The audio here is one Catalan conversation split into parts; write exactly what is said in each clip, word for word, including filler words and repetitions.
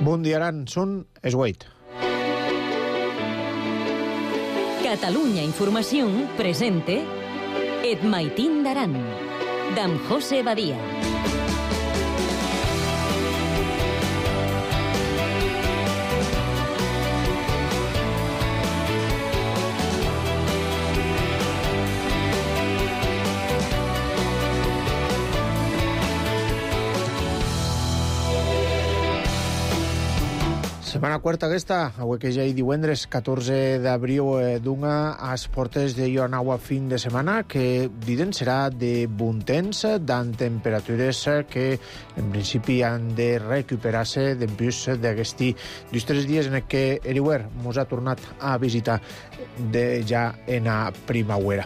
Bon dia, Aran. Són es vuit. Catalunya Informació presente Et Maitín d'Aran, d'en José Badia. Setmana quarta aquesta, avui que ja hi divendres catorze d'abril eh, d'una a les portes de Ioanaua fin de setmana, que diden serà de bon temps, d'an temperatures que en principi han de recuperar-se d'empús d'aquesti dos tres dies en què Eriwer mos ha tornat a visitar de ja en a primavera.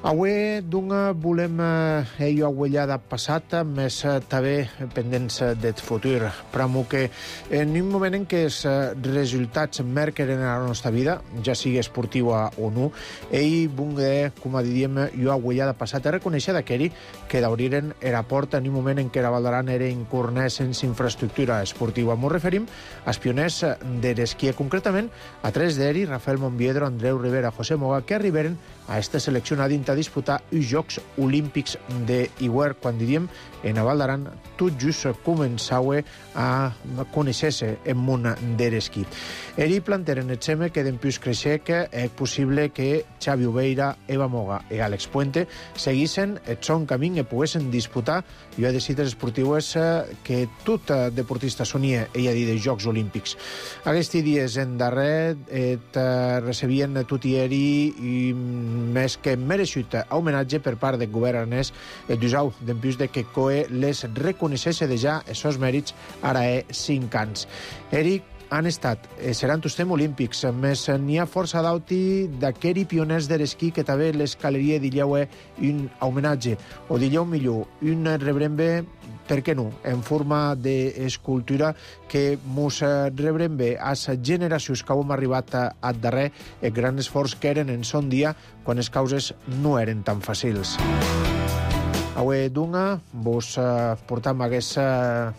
Avui d'una volem eh, jo aguellada passat, més eh, també pendents del futur. Però que en un moment en què els resultats marquen en la nostra vida, ja sigui esportiva o no, ell vulgui, com diríem, jo aguellada passat, reconèixer d'aquell que d'obriren era porta en un moment en què la Val d'Aran era incornès sense infraestructura esportiva. Ens referim als pioners de l'esquí, concretament a tres d'ells, Rafael Monviedro, Andreu Rivera, José Moga, que arribaren a esta selecció a dins a disputar els Jocs Olímpics d'Iwer, quan diríem en a Val d'Aran tot just començava a conèixer-se en món de l'esquí. Eri planteren el seme que d'empús creixer que és possible que Xavi Obeira, Eva Moga i Àlex Puente seguissin el son camí i poguessin disputar jo he decidit esportius que tot deportista sonia ella dir dels Jocs Olímpics. Aquests dies en darrer et recebien tot i eri i més que mereixut homenatge per part del govern aranès el dijous d'empús de que COE les reconeixés de ja els seus mèrits ara he cinc anys. Eric han estat, seran tostem olímpics, més n'hi ha força d'auti d'aqueri pioners de l'esquí que també l'escaleria dilleu un homenatge, o dilleu millor, un rebrembe, per què no, en forma d'escultura que mos rebrembe a les generacions que hem arribat a darrer el gran esforç que eren en son dia quan les causes no eren tan fàcils. Avui d'una vos uh, portam aquest uh,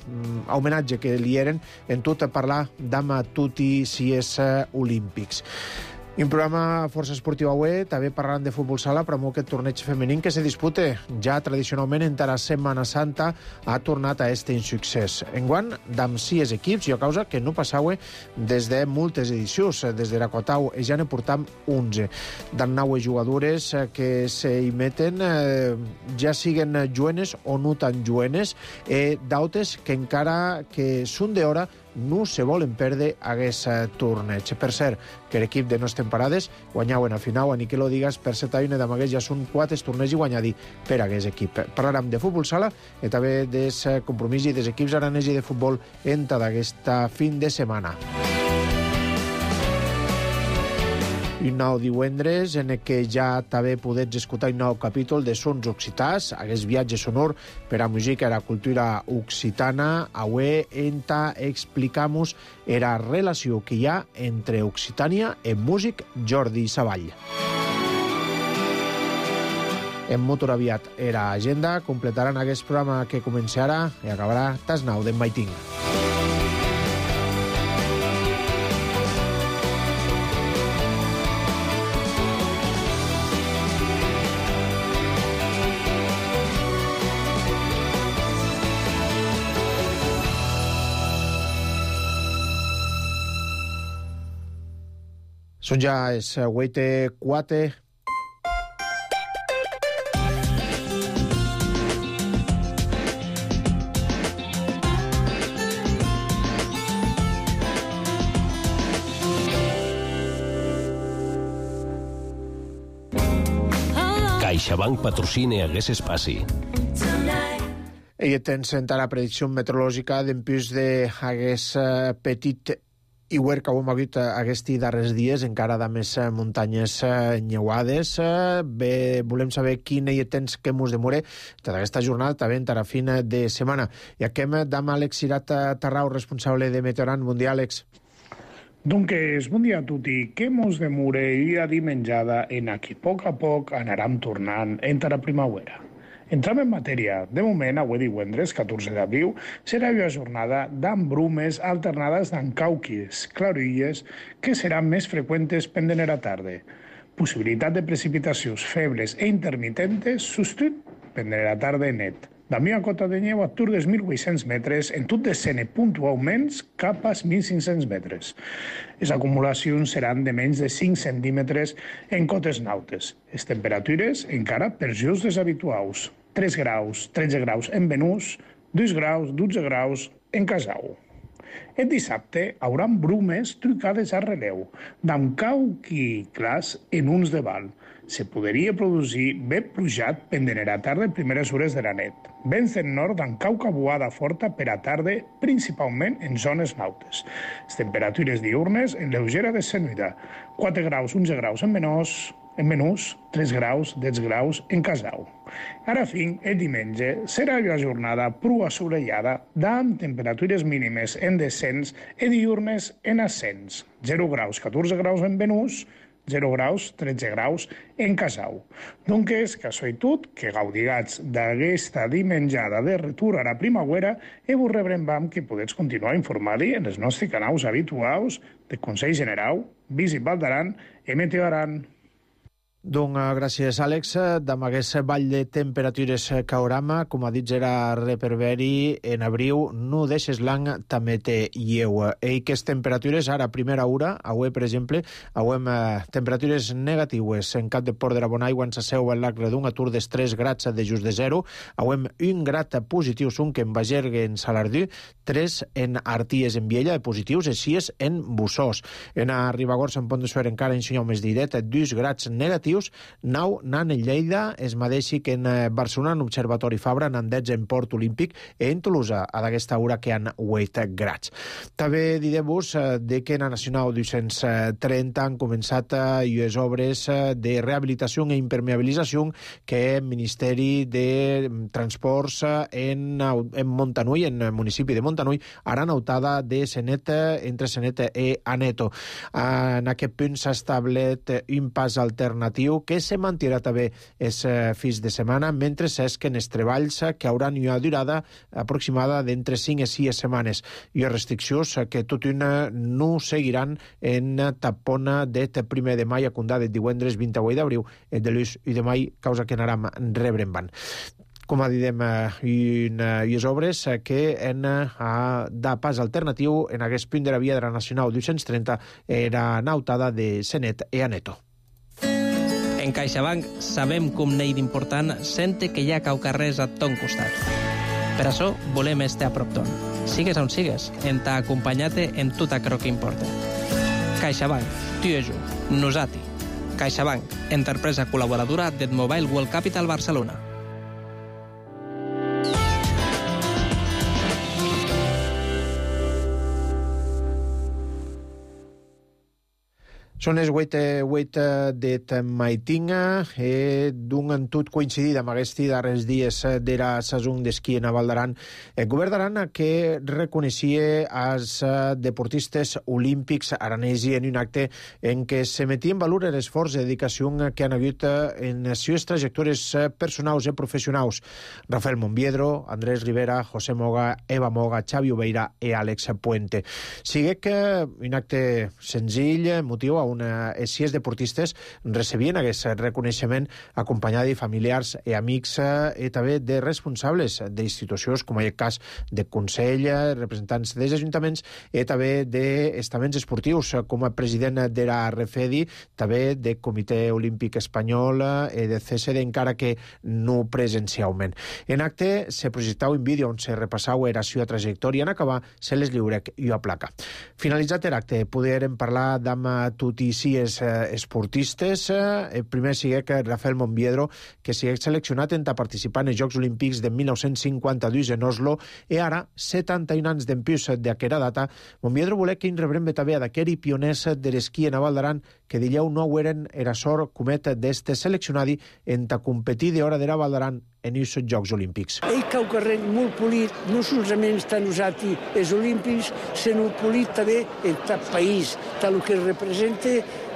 homenatge que li eren en tot a parlar d'ama tutti si és uh, olímpics. Un programa força esportiu avui, també parlant de futbol sala, però amb aquest torneig femení que se dispute ja tradicionalment en la Setmana Santa ha tornat a este insuccés. Enguany, d'amb sis equips, i a causa que no passava des de moltes edicions, des de la Cotau, ja ne portam onze. D'an nou jugadores que s'hi meten, eh, ja siguen jovenes o no tan jovenes, eh, d'autes que encara que són d'hora no se volen perdre aquest torneig. Per cert, que l'equip de Nostres Temparades guanyaven a final, a ni que lo digues, per set anys d'amagues ja són quatre torneigs i guanyadi per aquest equip. Parlarem de futbol sala i també dels compromisos i dels equips aranesos de futbol en tota aquesta fin de setmana. Un nou divendres en què ja també podets escoltar un nou capítol de Sons Occitans, aquest viatge sonor per a música i la cultura occitana. Avui enta explicamos la relació que hi ha entre Occitània i músic Jordi Savall. En molt aviat era agenda, completaran aquest programa que comença ara i acabarà tas nou d'en Maitín. Són ja els vuit i quatre. CaixaBank patrocina aquest espaci. I tens encara la predicció meteorològica d'empús d'aquest petit Iwer que hem hagut aquests darrers dies, encara de més muntanyes nyeuades. Bé, volem saber quin hi temps que mos demore tota aquesta jornada, també en la fin de setmana. I aquí amb Àlex Cirat Tarrau, responsable de Meteoran. Bon dia, Àlex. Doncs, bon dia a tutti. Què mos demore i a dimenjada en a que a poc a poc anàrem tornant entre la primavera. Entram en matèria. De moment, avui divendres, catorze d'abril, serà una jornada d'ambrumes brumes alternades d'encauquis, claroilles, que seran més freqüents pendent a la tarda. Possibilitat de precipitacions febles e intermitentes, substitut pendent a la tarda net. La meva cota de neu atur dels mil vuit-cents metres, en tot descene puntualment cap als mil cinc-cents metres. Les acumulacions seran de menys de cinc centímetres en cotes nautes. Les temperatures encara per just deshabituals. tres graus, tretze graus en Venús, dos graus, dotze graus en Casau. El dissabte haurà brumes trucades a relleu, d'encauqui clars en uns de val. Se podria produir vent plujat pendent a la tarda en primeres hores de la nit. Vents del nord d'encauca buada forta per a tarda, principalment en zones nautes. Les temperatures diurnes en lleugera descenuda, quatre graus, onze graus en Venús, en Venús, tres graus, deu graus en Casau. Ara fin, el diumenge serà una jornada prou assolellada amb temperatures mínimes en descens i diurnes en ascens. zero graus, catorze graus en Venús, zero graus, tretze graus en Casau. Donc és casualitat que gaudigats d'aquesta dimenjada de retorn a la primavera i vos rebrem que podeu continuar informant-hi en els nostres canals habituals de Consell General, Visit Val d'Aran i Meteo Aran. Doncs gràcies, Àlex. Amb aquest ball de temperatures que hauram, com ha dit Gerard Reperberi, en abril no deixes l'any també té lleu. I aquestes temperatures, ara, a primera hora, avui, per exemple, avui eh, temperatures negatives. En Cap de Port de la Bonaigua ens asseu el lac Redung, atur dels tres grats de just de zero. Avui un grat positiu són que en Bagergue, en Salardú, tres en Arties, en Viella, de positius, i sis en Bussós. En a Ribagorça, en Pont de Suert, encara en Senyau més diret, dos grats negatius. Nou nan en Lleida, es mateixi que en Barcelona, en Observatori Fabra, en dotze en Port Olímpic, i en Tolosa, a d'aquesta hora que han vuit grads. També direm-vos de que en la Nacional dos-cents trenta han començat les obres de rehabilitació i impermeabilització que el Ministeri de Transports en, en Montanui, en el municipi de Montanui, ara nautada de Senet, entre Senet i Aneto. En aquest punt s'ha establit un pas alternatiu que se mantirà també els fins de setmana, mentre és que en els treballs que hauran una durada aproximada d'entre cinc i sis setmanes i les restriccions que tot una no seguiran en tapona de primer de mai a Condà de divendres vint-i-vuit d'abril i de l'ús i de mai, causa que anàrem rebrem van. Com a didem, unes obres que en de pas alternatiu en aquest punt de la via de la Nacional dos-cents trenta era nautada de Senet i Aneto. En CaixaBank sabem com n'hi d'important sente que hi ha caucarrers a ton costat. Per això volem estar a prop ton. Sigues on sigues, en t'ha acompanyat en tot aquello que importa. CaixaBank, tu i jo, nosati. CaixaBank, empresa col·laboradora del Mobile World Capital Barcelona. Són les vuit de Maitinga, eh, d'un en tot coincidit amb aquests darrers dies de la saison d'esquí en Val d'Aran. El govern d'Aran que reconeixia als deportistes olímpics aranesi en un acte en què se metia en valor l'esforç i dedicació que han hagut en les seves trajectòries personals i professionals. Rafael Monbiedro, Andrés Rivera, José Moga, Eva Moga, Xavi Obeira i Àlex Puente. Sigue que un acte senzill, motiu on els sis deportistes recebien aquest reconeixement acompanyat de familiars i amics i també de responsables d'institucions, com en el cas de Consell, representants dels ajuntaments i també d'estaments esportius, com a president de la Refedi, també de Comitè Olímpic Espanyol i de C S D, encara que no presencialment. En acte se projectava un vídeo on se repassava la seva trajectòria. En acabar, se les lliurec i a placa. Finalitzat l'acte, podrem parlar d'amb tot i sis esportistes. El primer sigue que Rafael Monbiedro, que sigue seleccionat en participar en els Jocs Olímpics de mil nou-cents cinquanta-dos en Oslo, i ara, setanta-un anys d'empius d'aquesta data, Monbiedro volia que en rebrem també d'aquell pioners de l'esquí en Val d'Aran, que dileu no eren era sort comet d'este seleccionadi en ta competir de hora de la Val d'Aran en els Jocs Olímpics. Ell cau carrer molt polit, no solament estan usat els Olímpics, sinó polit també en tot país, tal que representa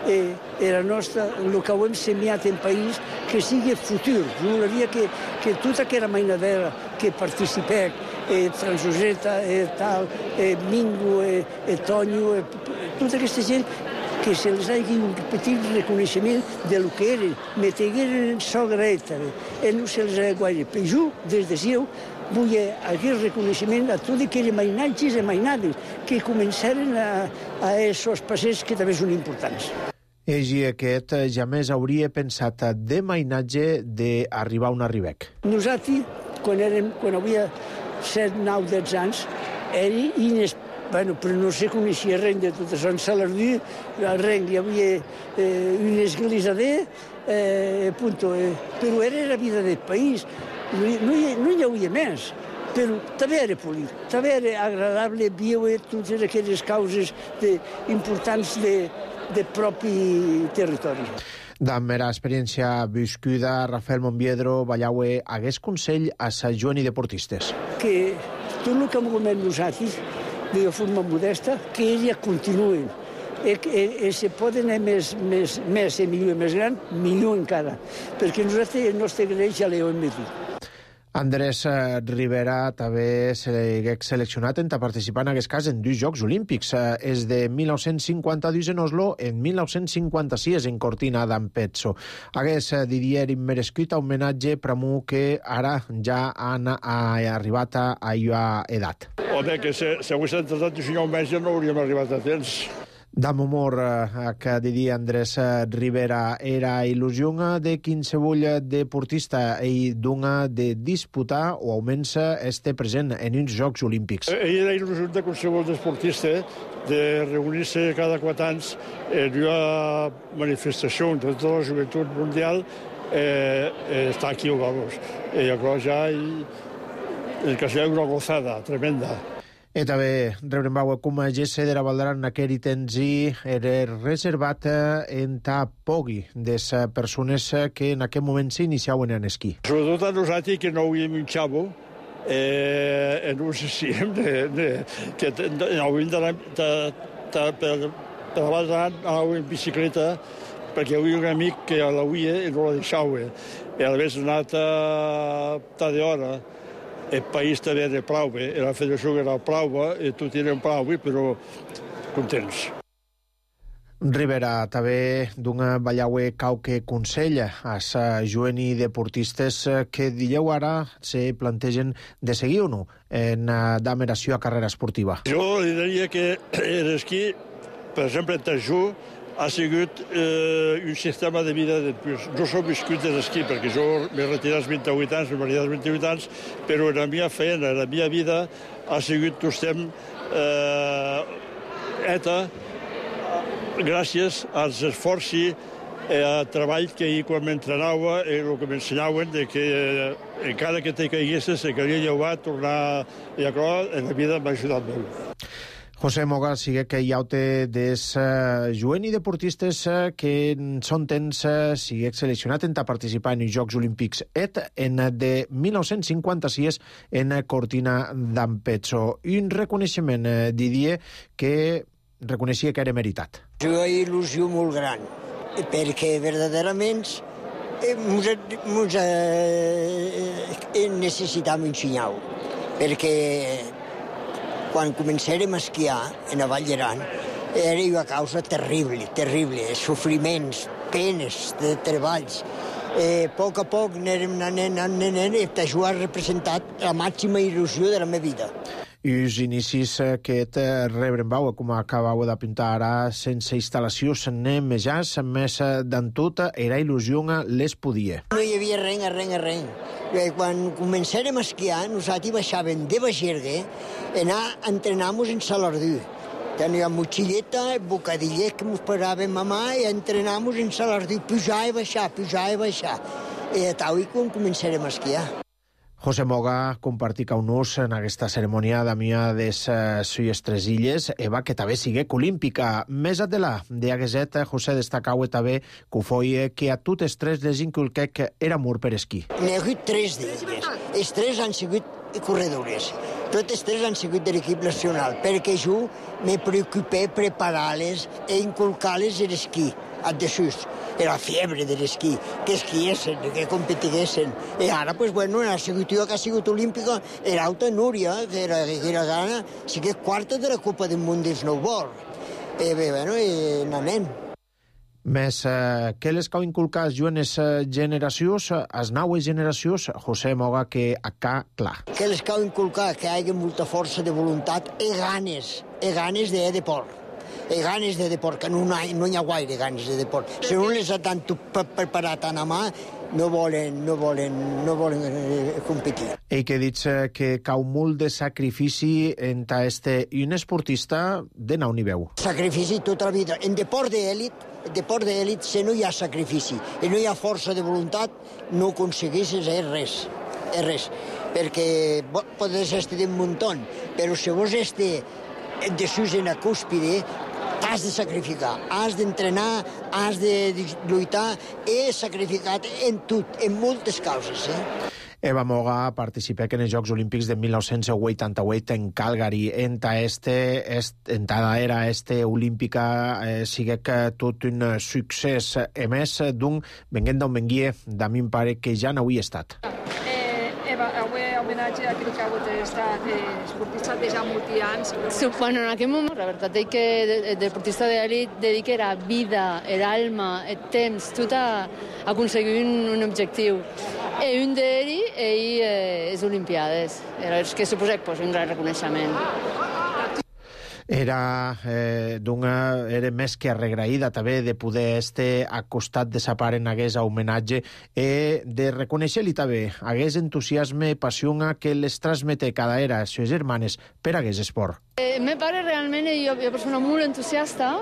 eh, la nostra, el que hem semiat en país, que sigui futur. Volia que, que tota aquella mainadera que participeu, eh, Transoseta, eh, tal, eh, Mingo, eh, eh, Tonyo, eh, tota aquesta gent, que se les hagi un petit reconeixement del que eren, metegueren en sogra ètera, i no se les ha guaire. Per jo, des de seu, vull aquest reconeixement a tots aquells mainatges i mainades que començaren a, a aquests passers que també són importants. Ell aquest jamais hauria pensat de mainatge d'arribar on arribec. Nosaltres, quan, érem, quan havia set, nou, deu anys, era inesperat. Bueno, però no se coneixia res de tot això. En Salardí, al Renc, hi havia eh, una església de, eh, punto, eh, però era la vida del país. No, no, hi, no hi havia més, però també era polit, també era agradable viure totes aquelles causes de, importants de, de propi territori. Damb era experiència viscuda, Rafael Monbiedro Ballaue hagués consell a sa jovent i deportistes. Que tot el que hem comet nosaltres, de forma modesta, que ella continuen. I, i, i se poden anar més, més, més i millor i més gran, millor encara, perquè nosaltres el nostre greix ja l'hem dit. Andrés Rivera també s'ha seleccionat en participar en aquest cas en dos Jocs Olímpics. És de mil nou-cents cinquanta-dos en Oslo, en mil nou-cents cinquanta-sis en Cortina d'Ampezzo. Hagués Didier immerescut homenatge per a que ara ja han arribat a aquesta edat. Home, que si, si hagués entrat el senyor metge no hauríem arribat a temps. D'am humor que diria Andrés Rivera era il·lusió de qualsevol deportista i d'una de disputar o almenys este present en uns Jocs Olímpics. Era il·lusió de qualsevol deportista de reunir-se cada quatre anys en una manifestació de tota la joventut mundial, eh, està aquí, vamos. I llavors ja el que sigui una gozada tremenda. I també rebrem veu com a Gesse de la Valdaran en aquell temps era reservat en ta pogui de les persones que en aquest moment s'iniciaven en esquí. Sobretot a nosaltres que no havíem un xavo, eh, no sé si hem de, de, que hauríem d'anar per la Valdaran, anàvem en bicicleta, perquè hi havia un amic que l'havia i no la deixava. I a més anat a d'hora. El país també era prou bé, la federació era prou bé, i tot eren prou bé, però contents. Rivera també d'una Ballaue cauque consella a sa jovent i deportistes que dieu ara se plantegen de seguir o no en d'ameració a carrera esportiva. Jo li diria que l'esquí, per exemple, en Tajú, ha sigut eh, un sistema de vida de plus. Jo soc viscut de l'esquí, perquè jo m'he retirat als vint-i-vuit anys, m'he maridat als vint-i-vuit anys, però la meva feina, la meva vida ha sigut tot estem eh, eta gràcies als esforços i al treball que ahir quan m'entrenava i el que m'ensenyaven de que eh, encara que te caiguessis, se calia llevar, tornar i això, en la vida m'ha ajudat molt. José Moga sigue que hi ha des uh, jovent i deportistes uh, que són temps uh, sigue seleccionat en participar en els Jocs Olímpics et en de mil nou-cents cinquanta-sis en Cortina d'Ampezzo. Un reconeixement, uh, Didier, que reconeixia que era meritat. Una il·lusió molt gran, perquè verdaderament ens eh, necessitam ensenyar-ho, perquè quan començarem a esquiar en la Vall d'Aran era una causa terrible, terrible, sofriments, penes de treballs. Eh, a poc a poc anem anant, anant, anant, i això ha representat la màxima il·lusió de la meva vida. I els inicis que rebrem veu, com acabeu d'apuntar ara, sense instal·lacions anem més, més d'en tot, era il·lusió les podia. No hi havia res, res, res. Quan començàrem a esquiar, nosaltres baixàvem de Bagergue a anar a entrenar-nos en Salardú. Teníem motxilleta, bocadillet que ens paràvem a mà i entrenar-nos en Salardú, pujar i baixar, pujar i baixar. I a tal i quan començàrem a esquiar. José Moga compartí caunús en aquesta cerimònia d'amia des uh, suyes tres illes, eva que també siguec olímpica. Més adelà, de Agueset, José destacaue també que foi que a totes tres les inculquec era amor per esquí. N'hi ha hagut tres d'elles. Els tres han sigut corredores. Totes tres han sigut de l'equip nacional, perquè jo me preocupé preparar-les e inculcar-les l'esquí, a desús. Era fiebre de l'esquí, que esquiessin, que competiguessin. I ara, pues, bueno, ha sigut jo que ha sigut olímpica, era alta Núria, que era, que era gana, sí que és quarta de la Copa del Món de snowboard. I bé, bueno, i n'anem. Més eh, que les cau inculcar als joves eh, generacions, als naues generacions, José Moga, que acá clar. Que les cau inculcar que hi hagi molta força de voluntat i ganes, i ganes de deport. I ganes de deport, que no, no hi ha gaire ganes de deport. Si no les ha tant preparat tant a mà, no volen, no volen, no volen competir. I que dits que cau molt de sacrifici entre este i un esportista de nau nivell. Sacrifici tota la vida. En deport d'èlit, en deport d'èlit, si no hi ha sacrifici i no hi ha força de voluntat, no aconsegueixes res, és res. Perquè podes estar un muntó, però si vos estar de sus en la cúspide, has de sacrificar, has d'entrenar, has de lluitar, he sacrificat en tot, en moltes causes. Eh? Eva Moga participà en els Jocs Olímpics de mil nou-cents vuitanta-vuit en Calgary. Enta este, est, entada era este olímpica eh, sigue que tot un succés. A més, d'un, venguent d'on venguia, de mi em pare que ja n'havia estat. Eva, avui homenatge a aquell que ha estat esportista de ja molts anys. Sí, bueno, en aquell moment, la veritat és que el deportista d'elit dedica la vida, l'alma, el temps, tot a aconseguir un, un objectiu. I un d'ells ell, eh, és Olimpiades, és que suposa pues, un gran reconeixement. Era, eh, d'una, era més que arregraïda també de poder estar a costat de sa pare en aguest homenatge i de reconèixer-li també aguest entusiasme i passió que les transmete cada era a les seves germanes per aguest esport. Eh, me pare realment és una persona molt entusiasta.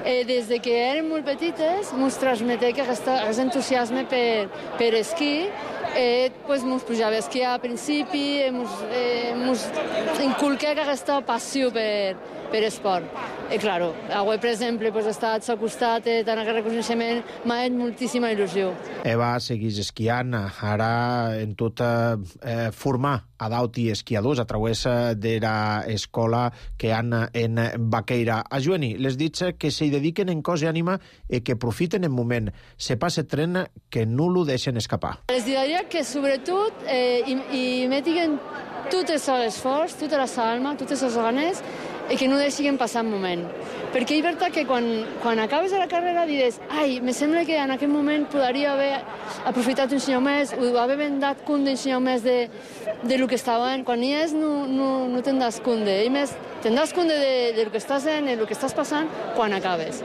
Eh, des de que eren molt petites mos transmeté que aquest, aquest entusiasme per, per esquí. Eh, pues, mos pujava a esquiar a principi, eh, mos, eh, mos inculqué aquesta passió per, per esport. I, claro, avui, per exemple, pues, estar al costat eh, tant aquest reconeixement m'ha fet moltíssima il·lusió. Eva segueix esquiant, ara en tot eh, formar adauti esquiadors a través de l'escola que han en Baqueira. A Joani, les dits que s'hi dediquen en cos i ànima i que profiten en moment. Se passa tren que no lo deixen escapar. Les diria que sobretot eh, i, i metiguen tot el seu esforç, tota la seva alma, totes les ganes i que no deixin passar un moment. Perquè és veritat que quan, quan acabes la carrera dius ai, me sembla que en aquell moment podria haver aprofitat un senyor més o haver vendat compte un senyor més de, de lo que estava en. Quan hi és no, no, no te'n das compte. I més, te'n das compte de, de lo que estàs en, de lo que estàs passant quan acabes.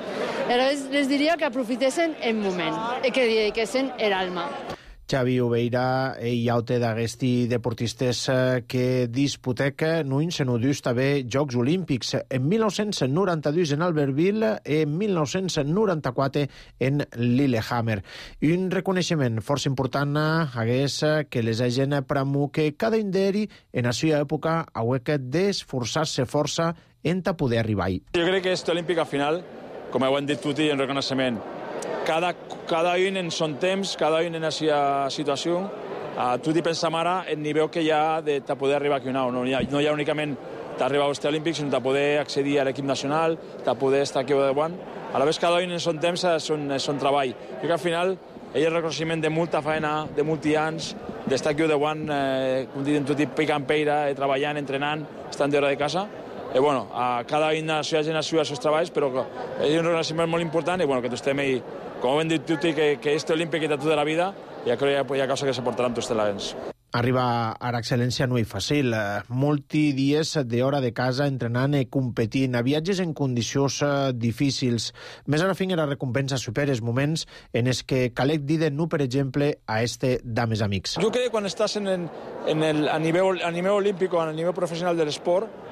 Llavors les diria que aprofitessin el moment i que dediquessin l'alma. Xavi Oveira i aute d'aguesti deportistes que disputec no se no dus també Jocs Olímpics en mil nou-cents noranta-dos en Albertville i en mil nou-cents noranta-quatre en Lillehammer. Un reconeixement força important hagués que les hagin premu que cada un d'ells en la seva època hauria d'esforçar-se força en poder arribar-hi. Jo crec que aquest olímpic al final, com ho han dit tutti en reconeixement, Cada, cada un en son temps, cada un en la seva situació. Uh, tu t'hi pensam ara el nivell que hi ha de poder arribar aquí una. No hi ha, no hi ha únicament d'arribar als Olímpics, sinó de poder accedir a l'equip nacional, de poder estar aquí davant. A la vegada cada un en son temps, en son, en son treball. Jo que al final ell és reconeixement de molta feina, de molts anys, d'estar aquí davant, eh, com diuen tot, picant peira, eh, treballant, entrenant, estant d'hora de casa. I, bueno, a cada una de la seva generació els seus treballs, però és un reconeixement molt important i, bueno, que tu estem ahí, com hem dit tutti, que, que este olímpic és tota la vida i ja crec que hi ha causa que se portaran tots els Arribar a l'excel·lència no és fàcil. Molti dies d'hora de casa entrenant i competint, a viatges en condicions difícils. Més a la fin era recompensa superes moments en els que calec dir de no, per exemple, a este dames amics. Jo crec que quan estàs en el, en el, a, nivell, a nivell olímpic o a nivell professional de l'esport,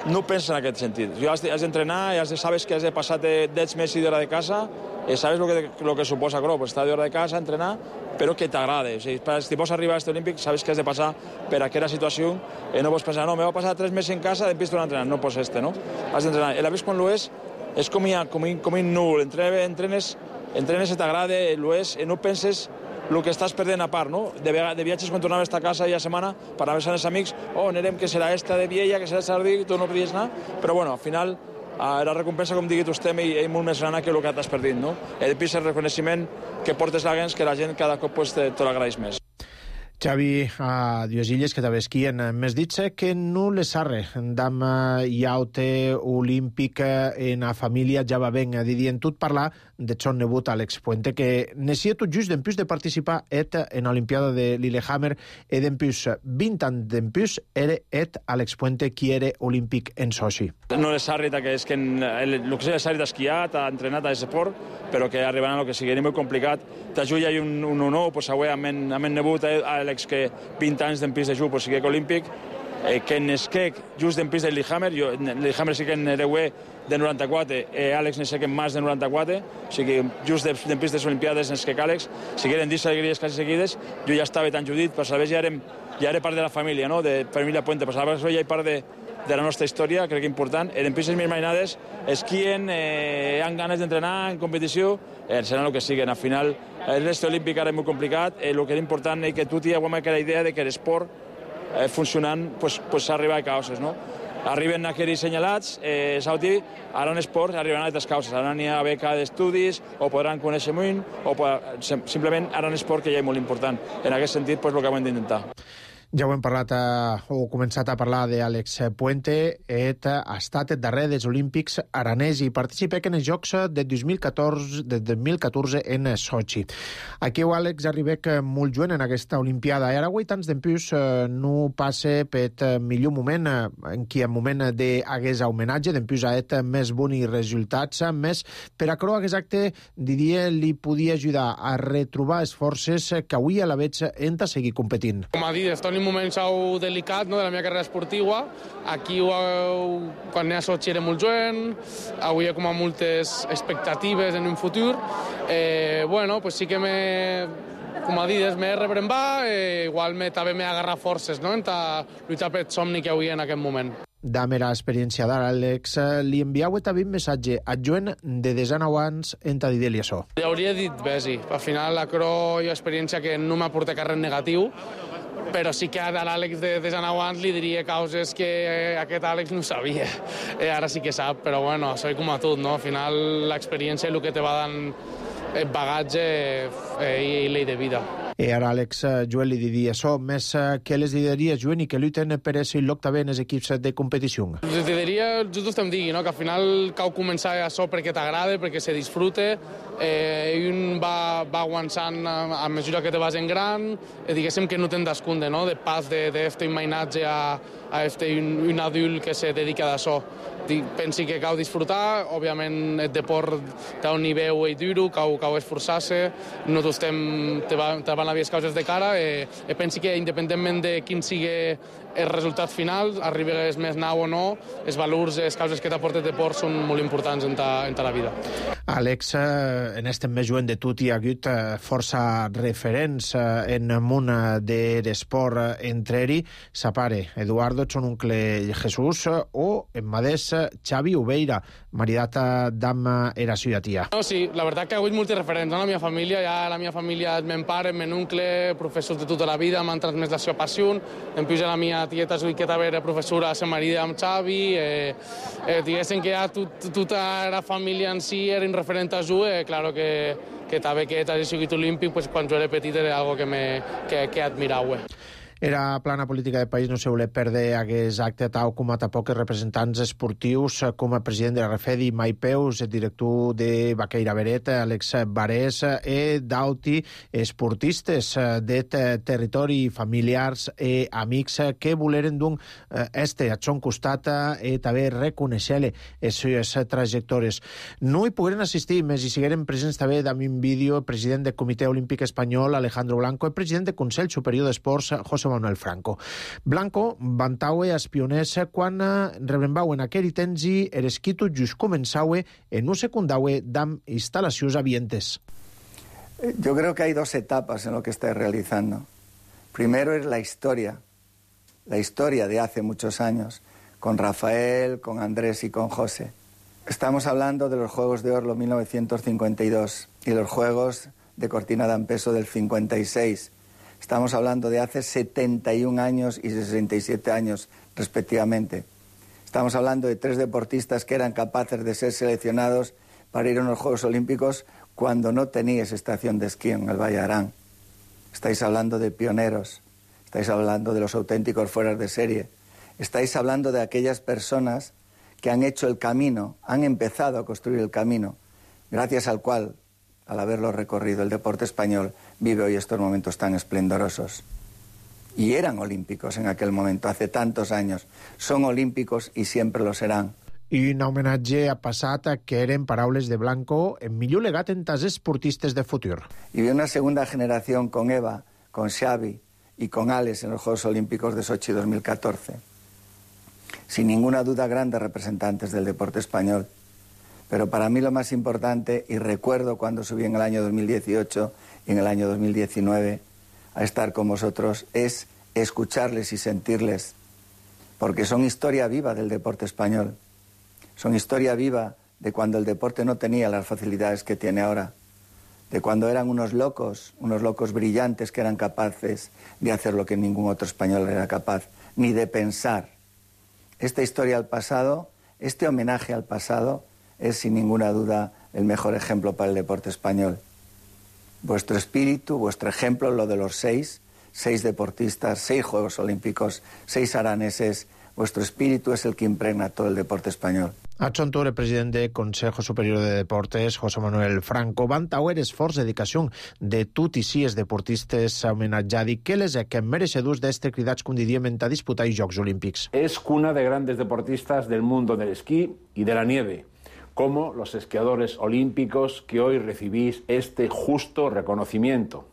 no pensa en aquest sentit. Jo has d'entrenar i has de saber que has de passar deu mesos d'hora de casa eh, sabes lo que, lo que suposa, claro, pues estar de hora de casa, entrenar, però que t'agrada. O sigui, si vols arribar a este olímpic, sabes que has de passar per aquella situació, eh, no pots pensar, no, me va passar tres mesos en casa, després tornar a entrenar, no pots este, no? Has d'entrenar. A la vez, quan lo és, és com, ha, com, com un núvol, entrenes, entrenes i t'agrada, lo és, i no penses el que estàs perdent a part, no? De, de viatges quan tornaves a casa ja setmana per anar amb els amics, oh, anirem que serà esta de Viella, que serà Sardí, tu no podies anar, però bueno, al final la recompensa, com digui tu, estem i és molt més gran que el que t'has perdit, no? I després el reconeixement que portes l'agents, que la gent cada cop pues, te, te l'agraeix més. Xavi, a dues illes que també esquien. M'has dit que no les arre d'am iaute olímpic en a família ja va ben. Didien tot parlar de son nebut Àlex Puente, que necia tot just d'empús de participar et en l'Olimpiada de Lillehammer e d'empús vint anys d'empús era et Àlex Puente qui era olímpic en Sochi. No les arre que és que el que és arre d'esquiar, t'ha entrenat a esport, però que arribaran a lo que sigui molt complicat. T'ajuda i un, un honor, pues, avui amb en nebut Àlex que vint anys d'empís de jugar, pues, sigui olímpic, eh, que n'esquec just d'empís de Lillehammer, jo Lillehammer sí que en hereué de noranta-quatre, eh, Àlex n'esquec en més de noranta-quatre, o sigui, just d'empís de les Olimpiades n'esquec Àlex, si eren dix alegries quasi seguides, jo ja estava tan judit, per saber ja érem, ja era part de la família, no?, de família Puente, per saber ja hi part de, de la nostra història, crec que important. En pistes més mainades, esquien, eh, han ganes d'entrenar en competició, eh, seran el que siguen. Al final, el reste olímpic ara és molt complicat, eh, el que era important és que tu tinguem aquella idea de que l'esport eh, funcionant, pues, pues arriba a causes, no? Arriben aquells senyalats, eh, Sauti, ara en esport arriben a altres causes, ara n'hi ha beca d'estudis, o podran conèixer molt, o pod... simplement ara en esport que ja és molt important. En aquest sentit, pues, el que hem d'intentar. Ja ho hem parlat, eh, o començat a parlar d'Àlex Puente, et ha estat el darrer dels Olímpics aranès i participa en els Jocs de dos mil catorze, de dos mil catorze en Sochi. Aquí Àlex arribec molt joven en aquesta Olimpiada. I ara avui tants d'empús eh, no passe per millor moment, eh, en qui en moment d'hagués homenatge, d'empús a et més bons resultats, més per a croar aquest acte, diria, li podia ajudar a retrobar les forces que avui a la veig en a seguir competint. Com ha dit, estic en un moment xau delicat, no?, de la meva carrera esportiva. Aquí, ho, quan anava a Sochi era molt jovent, avui hi ha com moltes expectatives en un futur. Eh, bueno, pues sí que me, com ha dit, m'he rebrembat, eh, igual me, també m'he agarrat forces, no?, en lluitar per el somni que avui en aquest moment. Da mera experiència d'Àlex, li enviau també un missatge a Joan de desanau anys en ta dir-li això. Li hauria dit besi. Al final, la cro hi ha experiència que no m'ha portat res negatiu, però sí que a l'Àlex de desanau anys li diria causes que aquest Àlex no sabia. Eh, ara sí que sap, però bueno, soy com a tot, no? Al final, l'experiència és el que te va dant el bagatge eh, i llei de vida. I ara Àlex Joel li diria això, més que les diria Joan i que lluiten per ese lloc també en els equips de competició. Les diria, just em digui, no? Que al final cal començar això perquè t'agrada, perquè se disfrute, eh, i un va, va avançant a, a mesura que te vas en gran, eh, diguéssim que no te'n descunde, no?, de pas d'este imaginatge a, a este un, un adult que se dedica a això. Pensi que cal disfrutar, òbviament el deport té un nivell i duro, cal, cal esforçar-se, nosaltres estem, te, va, te van haver les causes de cara, i, i pensi que independentment de quin sigui el resultat final, arribes més nau o no, els valors, les causes que t'aporta el deport són molt importants en ta, en ta la vida. Àlex, en este més jovent de tot hi ha hagut força referents en el món de l'esport, entre ell sa pare Eduardo, son oncle Jesús, o en madés Xavi Ubeira, maridat d'amb era seva tia. No, sí, la veritat que hi ha hagut molts referents, no? La meva família, ja la meva família, el meu pare, el meu oncle, professors de tota la vida, m'han transmès la seva passió, en plus la meva tieta que també era professora a la marida amb Xavi, eh, eh, diguéssim que ja tot, tota la família en si era un referent a jugar, eh, claro que, que també que hagi sigut olímpic, pues, quan jo era petit era algo que, me, que, que admirava. Era plana política del país, no se volia perdre aquest acte, tal com a tampoc els representants esportius, com el president de la Refedi, Mai Peus, el director de Baqueira Beret, Àlex Barés, i d'alti esportistes de territori, familiars i amics que voleren d'un este a son costat i també reconèixer les seves trajectòries. No hi pogueren assistir, més hi sigueren presents també d'ami un vídeo el president del Comitè Olímpic Espanyol, Alejandro Blanco, el president del Consell Superior d'Esports, José José Manuel Franco. Blanco vantaue als pioners quan rebrembauen aquell temps i er esquitu just començaue en un secundaue d'am instal·lacions avientes. Yo creo que hay dos etapas en lo que estáis realizando. Primero es la historia, la historia de hace muchos años, con Rafael, con Andrés y con José. Estamos hablando de los Juegos de Oslo mil novecientos cincuenta y dos y los Juegos de Cortina d'Ampezzo del cincuenta y seis. Estamos hablando de hace setenta y un años y sesenta y siete años, respectivamente. Estamos hablando de tres deportistas que eran capaces de ser seleccionados para ir a unos Juegos Olímpicos cuando no teníais estación de esquí en el Valle Arán. Estáis hablando de pioneros, estáis hablando de los auténticos fueras de serie, estáis hablando de aquellas personas que han hecho el camino, han empezado a construir el camino, gracias al cual, al haberlo recorrido, el deporte español vive hoy estos momentos tan esplendorosos. Y eran olímpicos en aquel momento, hace tantos años. Son olímpicos y siempre lo serán. I un homenatge a passat que eren paraules de Blanco en millor legat en tas esportistes de futur. Y vi una segunda generación con Eva, con Xavi y con Alex en los Juegos Olímpicos de Sochi dos mil catorce. Sin ninguna duda, grandes representantes del deporte español. Pero para mí lo más importante, y recuerdo cuando subí en el año dos mil dieciocho y en el año dos mil diecinueve a estar con vosotros, es escucharles y sentirles, porque son historia viva del deporte español. Son historia viva de cuando el deporte no tenía las facilidades que tiene ahora, de cuando eran unos locos, unos locos brillantes que eran capaces de hacer lo que ningún otro español era capaz, ni de pensar. Esta historia al pasado, este homenaje al pasado, es sin ninguna duda el mejor ejemplo para el deporte español. Vuestro espíritu, vuestro ejemplo, lo de los seis, seis deportistas, seis Juegos Olímpicos, seis araneses, vuestro espíritu es el que impregna todo el deporte español. A Chontur, el president del Consejo Superior de Deportes, José Manuel Franco, vantauer esforç i dedicació de tot i si els deportistes homenatjats que les que mereixedors d'estar cridats, com diríem, a disputar els Jocs Olímpics. Es cuna de grandes deportistas del mundo del esquí y de la nieve, como los esquiadores olímpicos que hoy recibís este justo reconocimiento.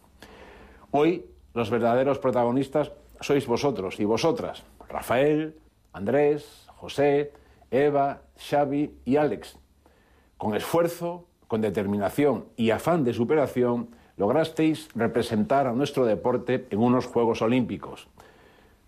Hoy, los verdaderos protagonistas sois vosotros y vosotras, Rafael, Andrés, José, Eva, Xavi y Alex. Con esfuerzo, con determinación y afán de superación, lograsteis representar a nuestro deporte en unos Juegos Olímpicos.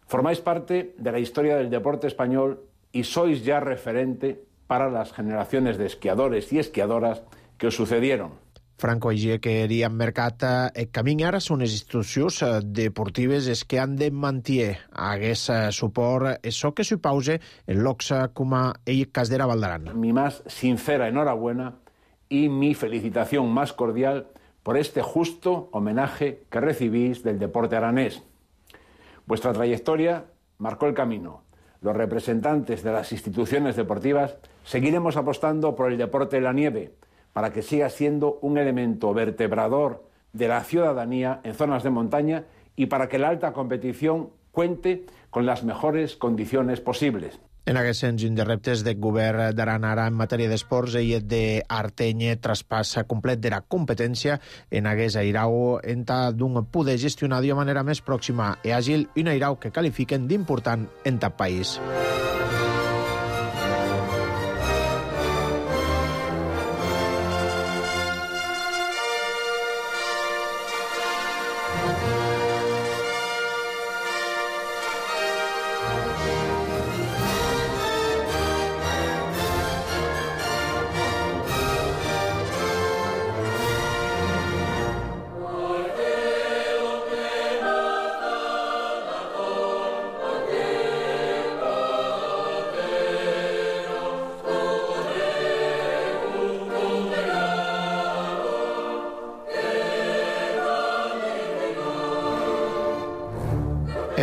Formáis parte de la historia del deporte español y sois ya referente para las generaciones de esquiadores y esquiadoras que os sucedieron. Franco així que havíem mercat el camí ara són les institucions deportives es que han de mantenir hagués suport això que s'hi pause en l'O C S A com a ell Casdera Valdaran. Mi más sincera enhorabuena y mi felicitación más cordial por este justo homenaje que recibís del deporte aranés. Vuestra trayectoria marcó el camino. Los representantes de las instituciones deportivas seguiremos apostando por el deporte de la nieve, para que siga siendo un elemento vertebrador de la ciudadanía en zonas de montaña y para que la alta competición cuente con las mejores condiciones posibles. En aquest sens, un dels reptes del govern d'Aran ara en matèria d'esports és d'Artenye traspàs complet de la competència en aquest airau en tal d'un poder gestionar de manera més pròxima i àgil un airau que qualifiquen d'important en tal país.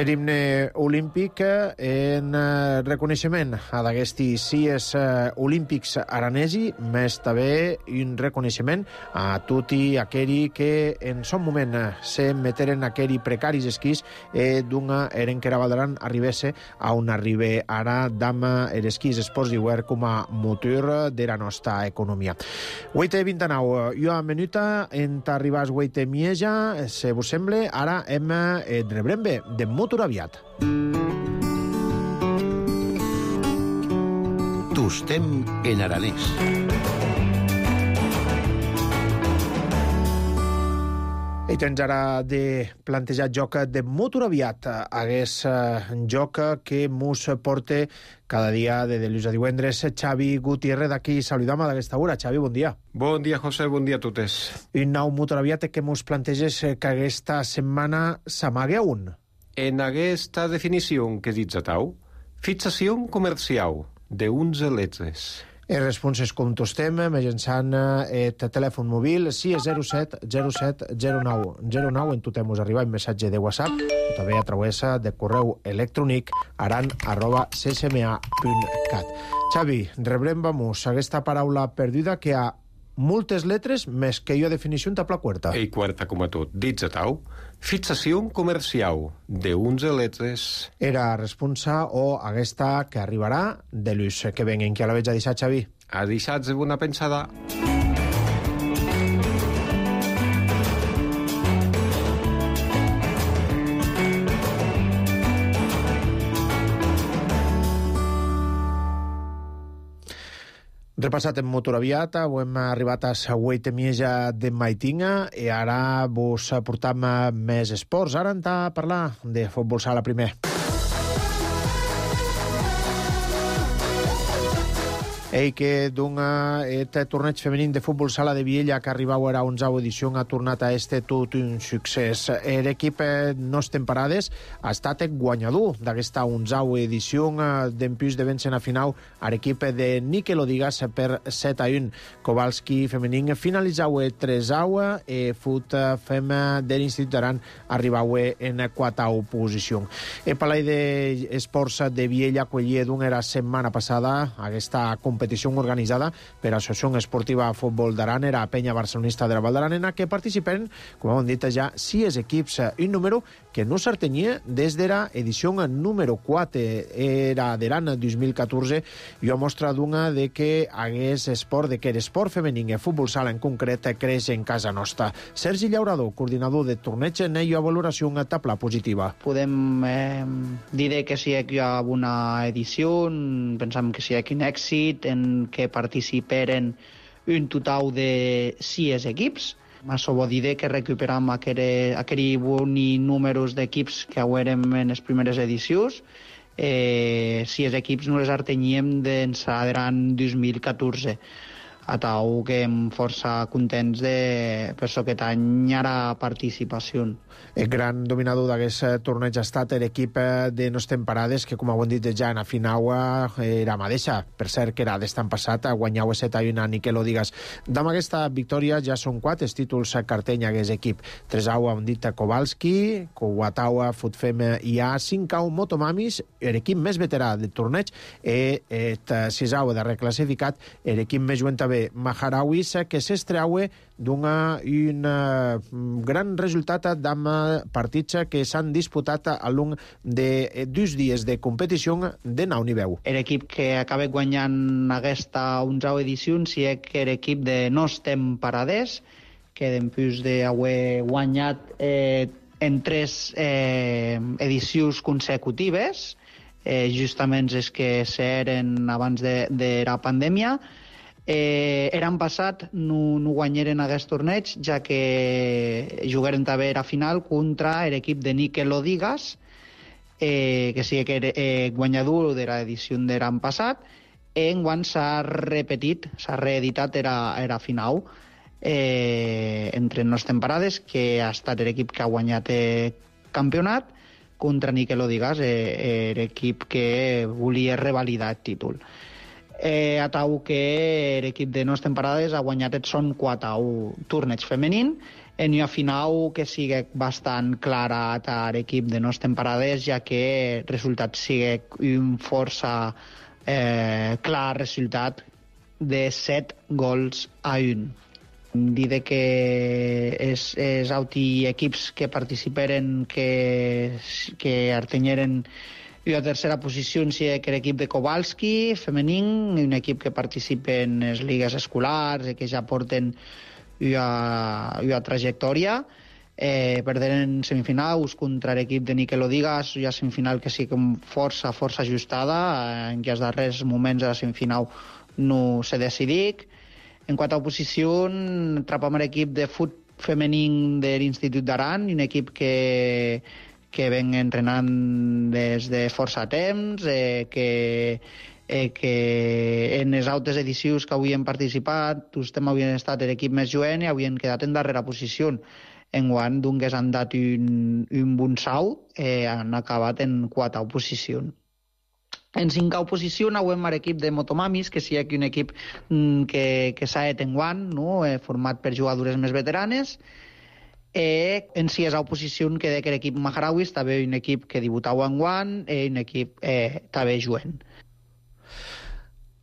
L'himne olímpic en reconeixement a d'aquesti cies olímpics aranesi, més també un reconeixement a tutti aquelli que en son moment se meteren aquelli precaris esquís e d'una eren que era Valdaran arribesse a un arribe ara d'ama er esquís esports d'hivern com a motor de la nostra economia. Hueite vintanau, jo a menuta en t'arribàs hueite mieja, se vos semble, ara hem de rebrembe de mut Motoraviat. Tostem en aranès. I tens ara de plantejar joc de Motoraviat. Hagués joc que mos porta cada dia de dilluns a divendres. Xavi Gutiérrez d'aquí saludam a d'aquesta hora. Xavi, bon dia. Bon dia, José, bon dia a totes. I nou Motoraviat que mos planteges que aquesta setmana s'amague a un. En aquesta definició que ditzatau, fixació comercial d'uns letres. Les responses com tostem, mitjançant el telèfon mòbil sis zero set zero set zero nou zero nou. En totem us arriba un missatge de WhatsApp o també a través de correu electrònic aran arroba c s m a punt cat. Xavi, rebrem, vamos, aquesta paraula perduda que ha moltes letres més que jo definició en tabla quarta. I quarta com a tot. Ditzatau, fixació comercial d'uns letres. Era responsa o aquesta que arribarà de l'ús que venguen. Que a la veig a deixar, Xavi? A deixar de bona pensada. Repassat en Motoraviat, ho hem arribat a la vuitena mitja de Maitinga i ara vos portam més esports. Ara hem de parlar de futbol sala primer. Ei, que d'un este torneig femení de futbol sala de Viella que arribau a onzau edició ha tornat a este tot un succés. L'equip Nos Temparades ha estat guanyador d'aquesta onzau edició d'empús de vèncer a final a l'equip de Nikel Odigas per set a un. Kowalski femení finalitzau tresau e fut fem de l'Institut d'Aran arribau en quatau posició. El Palai d'Esports de Viella acollia d'un era setmana passada aquesta competició competició organitzada per l'Associació Esportiva Futbol d'Aran, era Penya Barcelonista de la Val d'Aran, que participen, com hem dit ja, sis equips, un número que no s'artenia des de l'edició número quatre, era de l'any dos mil catorze, i ho mostra d'una de que hagués esport, de que l'esport femení, el futbol sala en concret, creix en casa nostra. Sergi Llaurador, coordinador de torneig, n'hi ha valoració una tabla positiva. Podem eh, dir que si hi ha una edició, pensem que si hi ha quin èxit, en què participeren un total de sis equips. Això vol dir que recuperam aquells bons números d'equips que haurem en les primeres edicions. Eh, sis equips no les arteníem d'ençà de l'any dos mil catorze. A tal que em força contents de per això aquest any hi ha participació. El gran dominador d'aquest torneig ha estat l'equip de Nos Temparades, que, com ho hem dit ja en la final, era mateixa. Per cert, que era d'estan passat, guanyau set a un a Nikel Odigas. Amb aquesta victòria ja són quatre els títols carteny d'aquest equip. Tres au hem dit Kowalski, quatre Futfem i a cinc au Motomamis, l'equip més veterà del torneig, i el sis au de reclassificat, l'equip més jugant també Maharawis, que s'estreaue d'un gran resultat amb partits que s'han disputat a l'un de dos dies de competició de nou nivell. L'equip que acaba guanyant aquesta onzau edició si és que l'equip de Nos Temparades, que després d'haver guanyat eh, en tres eh, edicions consecutives, eh, justament és que s'eren abans de, de la pandèmia. Eh, L'any passat no, no guanyeren aquest torneig, ja que jugaren també a final contra l'equip de Nikel Odigas, eh, que sí que era eh, guanyador de l'edició de l'any passat. Enguany s'ha repetit, s'ha reeditat a la final eh, entre Nos Temparades, que ha estat l'equip que ha guanyat el campionat, contra Nikel Odigas, eh, l'equip que volia revalidar el títol. Eh, a tal que l'equip de Nos Temparades ha guanyat el son quatre torneig femení, en una final que sigui bastant clara a l'equip de Nos Temparades, ja que el resultat sigui un força eh, clar resultat de set gols a un. Dir que els, els altres equips que participeren, que, que artenyeren i la tercera posició si que l'equip de Kowalski, femení, un equip que participa en les lligues escolars i que ja porten una, una trajectòria. eh, perderen en semifinals contra l'equip de Nikel Odigas, ja semifinal que sí que força, força ajustada, en què els darrers moments de la semifinal no se decidic. En quant a oposició, trapam l'equip de fut femení de l'Institut d'Aran, un equip que, que ven entrenant des de força temps, eh, que, eh, que en les altres edicions que avui hem participat, tots havien estat l'equip més jovent i havien quedat en darrera posició. Enguany, doncs, han dat un, un bon salt, eh, han acabat en quatre posicions. En cinquè posició anàvem a l'equip de Motomamis, que sí que un equip mm, que, que s'ha et enguany, no? eh, format per jugadores més veteranes. Eh, en sisena posició queda que l'equip Maharawis, també un equip que debutava enguany, eh, un equip eh, també jovent.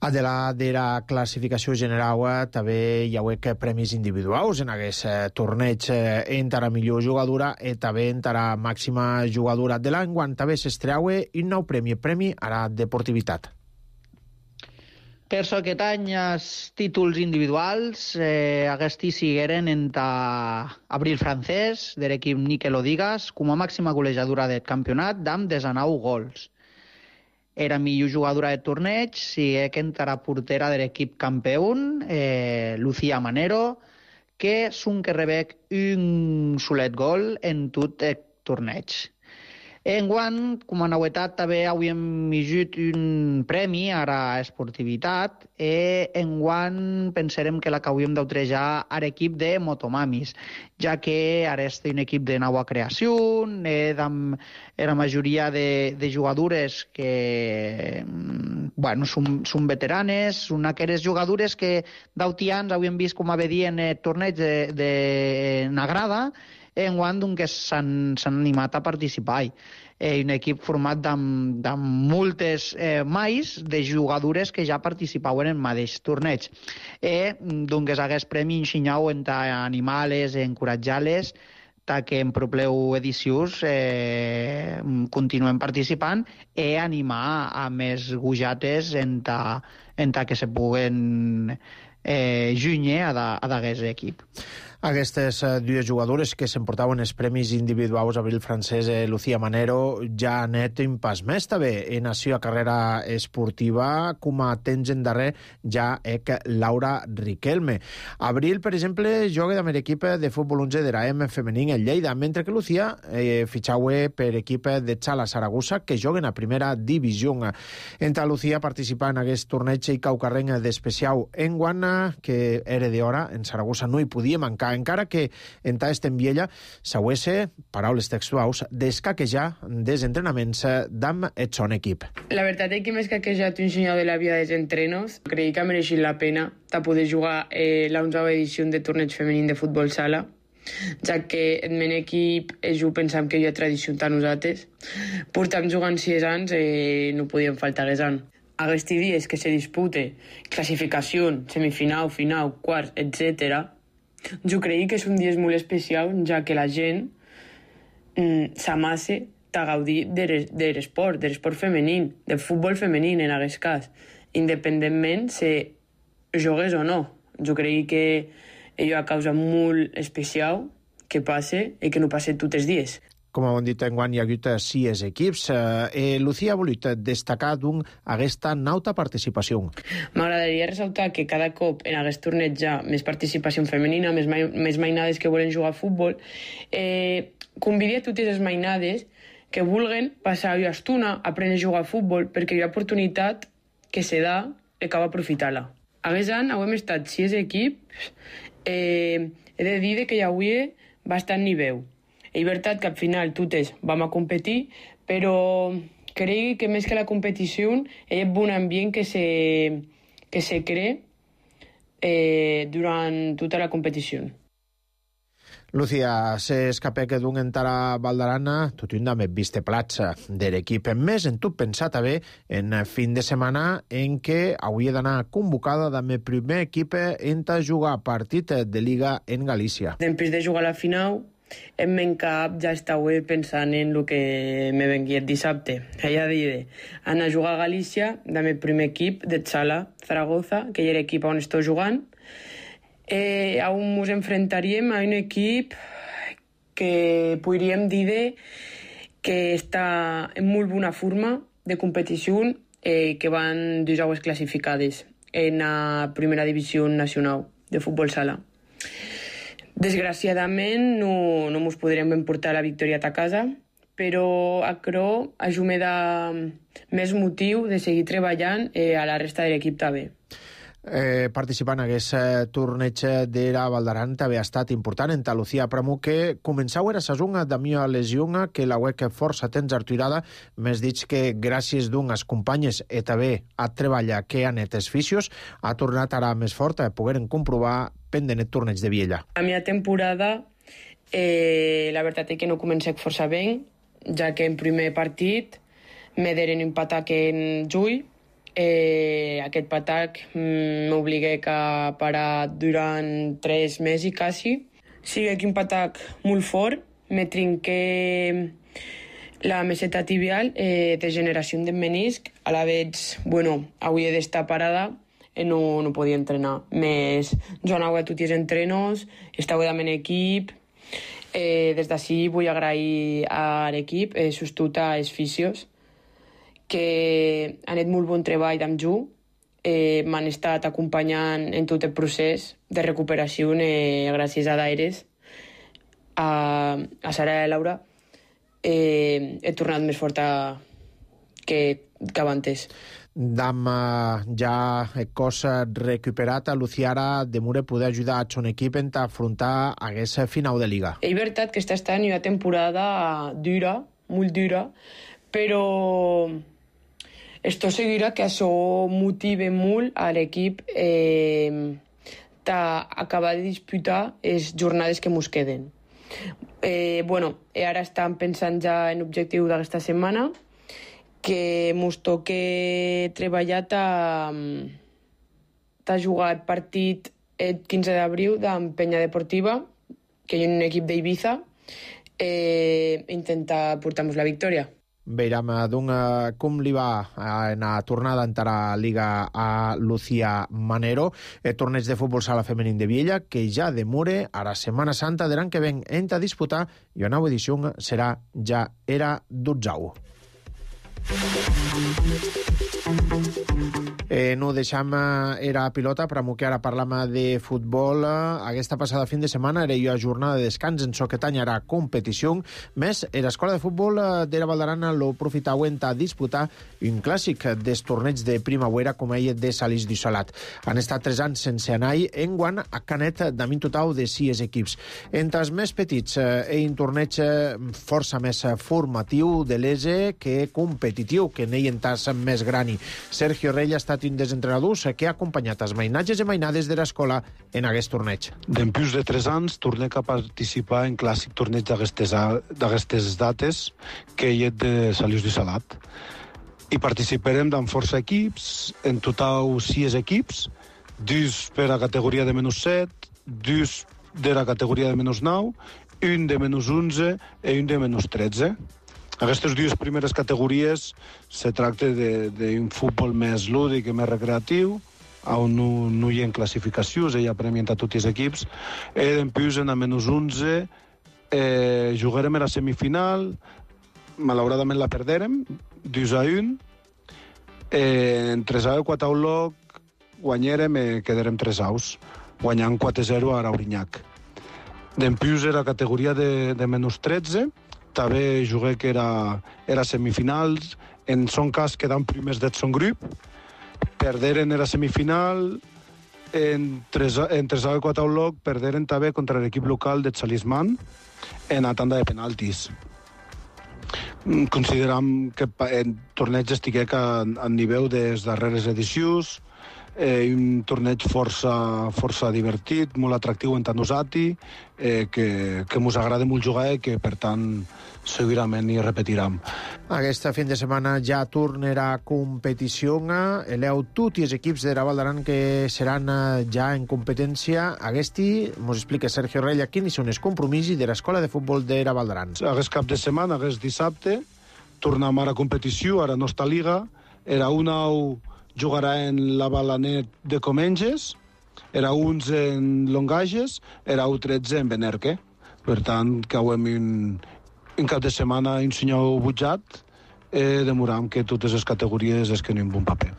A de la, de la classificació general també hi ha premis individuals en aquest eh, torneig eh, entre la millor jugadora i també entre la màxima jugadora de l'any, quan també s'estreua un nou premi, premi a la deportivitat. Per això aquest any els títols individuals eh, aquests sigueren entre Abril Francés, de l'equip Nikel Odigas, com a màxima golejadora del campionat, amb desenou gols. Era millor jugadora de torneig, sí que entra portera de l'equip campió, eh, Lucía Manero, que són que rebec un solet gol en tot el torneig. Enguany, com a novetat, també havíem millorat un premi a la esportivitat i enguany pensarem que la que hauríem d'utrejar a l'equip de Motomamis, ja que ara és un equip de nova creació, eh, amb la majoria de, de jugadores que bueno, són, són veteranes, són aquelles jugadores que d'altians havíem vist com a vedir en el torneig de, de Nagrada, enguany doncs, s'han animat a participar. Eh, un equip format amb moltes eh, mais de jugadores que ja participaven en el mateix torneig. Eh, doncs, aquest premi ensenyau entre animals, encoratjar-les, que en propleu edicions eh, continuem participant i animar a més gujates entre, entre que se puguen eh, junyer a d'aquest equip. Aquestes dues jugadores que s'emportaven els premis individuals, Abril Francés i Lucía Manero, ja han anat un pas més també en la seva carrera esportiva, com a temps en darrer ja és Laura Riquelme. Abril, per exemple, juga amb l'equip de futbol onze de l'A M femení en Lleida, mentre que Lucía eh, fitxava per equip de Xala Saragossa, que juguen a primera divisió. Entre Lucía participa en aquest torneig i caucarrenc d'especial en Guana, que era d'hora, en Saragossa no hi podia mancar, encara que en ta estembiella s'auesse, paraules textuals, d'escaquejar des entrenaments d'amb el son equip. La veritat és que m'he escaquejat un senyal de la vida dels entrenos. Creig que ha mereixit la pena de poder jugar eh, la onzena edició de torneig femení de futbol sala, ja que el meu equip jo pensam que hi ha tradició entre nosaltres. Portam jugant sis anys i no podíem faltar aquests anys. Aquests dies que se dispute classificació, semifinal, final, quarts, etcètera, jo crec que és un dia molt especial, ja que la gent mm, s'amasse a gaudir de l'esport, de l'esport femení, del futbol femení en aquest cas, independentment si jugues o no. Jo crec que és una causa molt especial que passe i que no passe tots els dies. Com hem dit, enguany hi ha hagut sis equips. Eh, Lucía ha volut destacar d'un aquesta nauta participació. M'agradaria ressaltar que cada cop en aquest torneig hi ha més participació femenina, més, mai, més mainades que volen jugar a futbol. Eh, convidia a totes les mainades que vulguen passar una estona a aprendre a jugar a futbol, perquè hi ha oportunitat que se da i cal aprofitar-la. Aquest any hem estat sis equips. Eh, he de dir que hi havia bastant nivell. És veritat que al final totes vam a competir, però crec que més que la competició hi ha un bon ambient que se, que se crea eh, durant tota la competició. Lucía, s'escapé que d'un entara Valdarana, tot un dame viste platja de l'equip. En més, en tot pensat també en fin de setmana en què hauria d'anar convocada dame primer equip en ta jugar partit de Liga en Galícia. Després de jugar a la final, en meu cap ja estava pensant en el que me venia dissabte. Ella deia anar a jugar a Galícia amb el primer equip de Xala Zaragoza, que és l'equip on estic jugant. Eh, on ens enfrontaríem a un equip que podríem dir que està en molt bona forma de competició, eh, que van dues aules classificades en la primera divisió nacional de futbol sala. Desgraciadament no, no ens podrem emportar la victòria a casa, però això això me dà més motiu de seguir treballant eh, a la resta de l'equip també. Eh, participant en aquest eh, torneig d'Era Valdaran també ha estat important en Lucía Pramu, que començau era sasunga de mia lesionga que la uec força temps artuirada, més dit que gràcies d'unes companyes i també a treballar que han etes fisios, ha tornat ara més forta a pogueren comprovar pendent el torneig de Viella. La meva temporada, eh, la veritat és que no comencé força bé, ja que en primer partit me deren empatar en juny. Eh, aquest patac m'obligué a parar durant tres mesos quasi. Sigui que un patac molt fort, me trinqué la meseta tibial, eh, degeneració de menisc, a la vez, bueno, avui he d'estar parada, eh, no, no podia entrenar. Més, jo anava a tots els entrenos, estava amb l'equip, eh, des d'ací vull agrair a l'equip, eh, sostut a els fisios, que han fet molt bon treball amb jo, eh, m'han estat acompanyant en tot el procés de recuperació, eh, gràcies a Daires, a, a Sara i Laura, eh, he tornat més forta que, que abans. Dam ja el cos recuperat, a Luciara de Mure poder ajudar a son equip en afrontar aquesta final de Liga. És veritat que està estant una temporada dura, molt dura, però esto seguirà que això motive molt a l'equip eh, d'acabar de disputar les jornades que ens queden. Eh, bueno, ara estem pensant ja en l'objectiu d'aquesta setmana, que ens toque treballar a, a jugar el partit el quinze d'abril d'Empenya Deportiva, que hi ha un equip d'Ibiza, eh, intentar portar-nos la victòria. Veiem doncs, com li va en la tornada en la Liga a Lucía Manero, el torneig de futbol sala femení de Viella, que ja demure a la Setmana Santa de l'any que ven en a disputar, i la nova edició serà ja era dotzau. Eh, no deixam era pilota, però que ara parlam de futbol. Aquesta passada fin de setmana era jo a jornada de descans en so que tanyarà competició, més era escola de futbol d'Era Valdaran lo profitauen a disputar un clàssic des torneig de primavera com ell de Salís d'Issolat. Han estat tres anys sense anar en guant a Canet d'Amin total de sis equips. Entre els més petits, eh, un torneig força més formatiu de l'E que competitiu, que n'ell en tas més grani. Sergio Rey ha estat un dels entrenadors que ha acompanyat els mainatges i mainades de l'escola en aquest torneig. D'empús de tres anys tornec a participar en clàssic torneig d'aquestes dates que hi ha de Salís d'Issolat. I participarem d'en força equips, en total sis equips, dos per a categoria de menys set, dos de la categoria de menys nou, un de menys onze i un de menys tretze. Aquestes dues primeres categories se tracta d'un futbol més lúdic i més recreatiu, on no, no hi ha classificacions, hi ha premien a tots els equips. I després, en a menys onze, eh, jugarem a la semifinal, malauradament la perderem, dos a un, eh, en tres a quatre loc, guanyarem i quedarem tres aus, guanyant quatre a zero a Araurinyac. Després, era la categoria de, de menys tretze, també jugué que era, era semifinals, en son cas quedant primers del son grup, perderen en la semifinal, en tres a quatre loc, perderen també contra l'equip local de Salisman en la tanda de penaltis. Consideram que el torneig estigué a, a nivell de les darreres edicions, eh, un torneig força, força divertit, molt atractiu en tant usati, eh, que, que ens agrada molt jugar i que, per tant, segurament hi repetirem. Aquesta fin de setmana ja tornarà competició. Eleu tots els equips d'Era Valdaran que seran ja en competència. Aquesta, ens explica Sergio Rella, quins són els compromisos de l'escola de futbol d'Era Valdaran. Aquest cap de setmana, aquest dissabte, tornem ara a competició, ara no està Liga. Era un nou jugarà en la Balanet de Comenges, era onze en Longages, era u tretze en Benerque. Per tant, que hem un, un cap de setmana un senyor butjat, eh, demoram que totes les categories es queden un bon paper.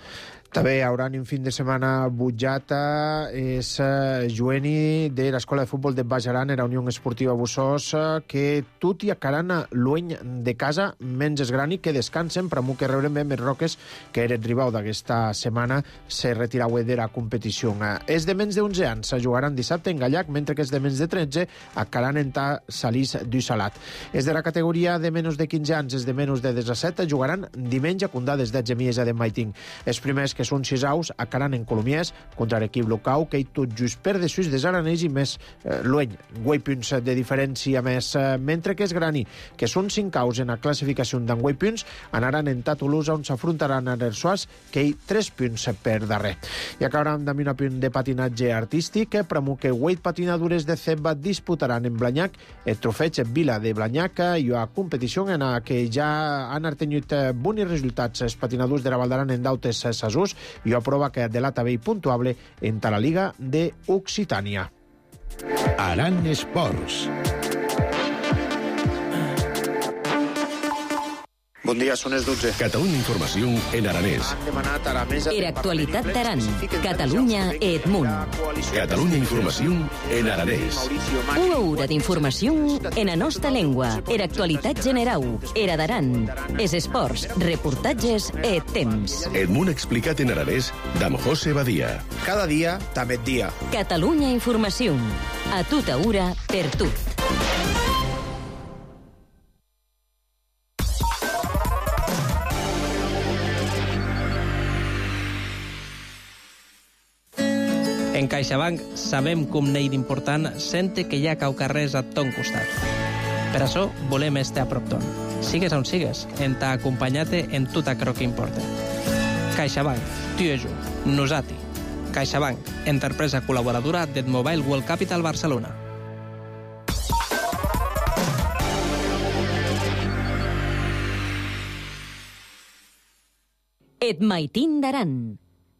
També hi haurà un fin de setmana butjata, és uh, Joeni de l'Escola de Futbol de Baix Aran, era Unió Esportiva Bussós, uh, que tot i acaran lueny de casa, menys esgrani, que descansen, però que rebren bé més roques, que eren rival d'aquesta setmana, se retirau de la competició. Uh, és de menys d'onze anys, se jugaran dissabte en Gallac, mentre que és de menys de tretze, acaran en ta Salís du Salat. És de la categoria de menys de quinze anys, és de menys de disset, jugaran diumenge a Condades de Gemiesa de Maiting. Els primers que són sis aus, acaran en Colomiers contra l'equip local, que hi tot just per de sus des aranès i més eh, lueny, guai punts de diferència més, eh, mentre que és grani, que són cinc aus en la classificació d'en guai punts, anaran en Toulouse, on s'afrontaran a l'Ersoas, que hi tres punts per darrer. I acabaran amb un punt de patinatge artístic, premu que vuit patinadures de Ceba disputaran en Blanyac el trofeig Vila de Blanyac, i a competició en la que ja han artenyut bons resultats els patinadors de la Valdaran en dautes Sasús, i ho aprova que delata bé i puntuable en la Liga de Occitània. Aran Esports. Bon dia, són les dotze. Catalunya Informació en aranès. Han demanat a la mesa... Era actualitat d'Aran. Catalunya Edmunt. Catalunya Informació en aranès. Una hora d'informació en la nostra llengua. Era actualitat generau. Era d'Aran. Es esports, reportatges e temps. Edmunt explicat en aranès d'Am José Badia. Cada dia, també dia. Catalunya Informació. A tota hora, per tu. En CaixaBank sabem com n'hi d'important sente que hi ha caucarrers a ton costat. Per això volem estar a prop ton. Sigues on sigues, en ta acompanyat-te en tot aquello que importa. CaixaBank, tu i jo, nosati. CaixaBank, empresa col·laboradora del Mobile World Capital Barcelona. Et maitin d'Aran,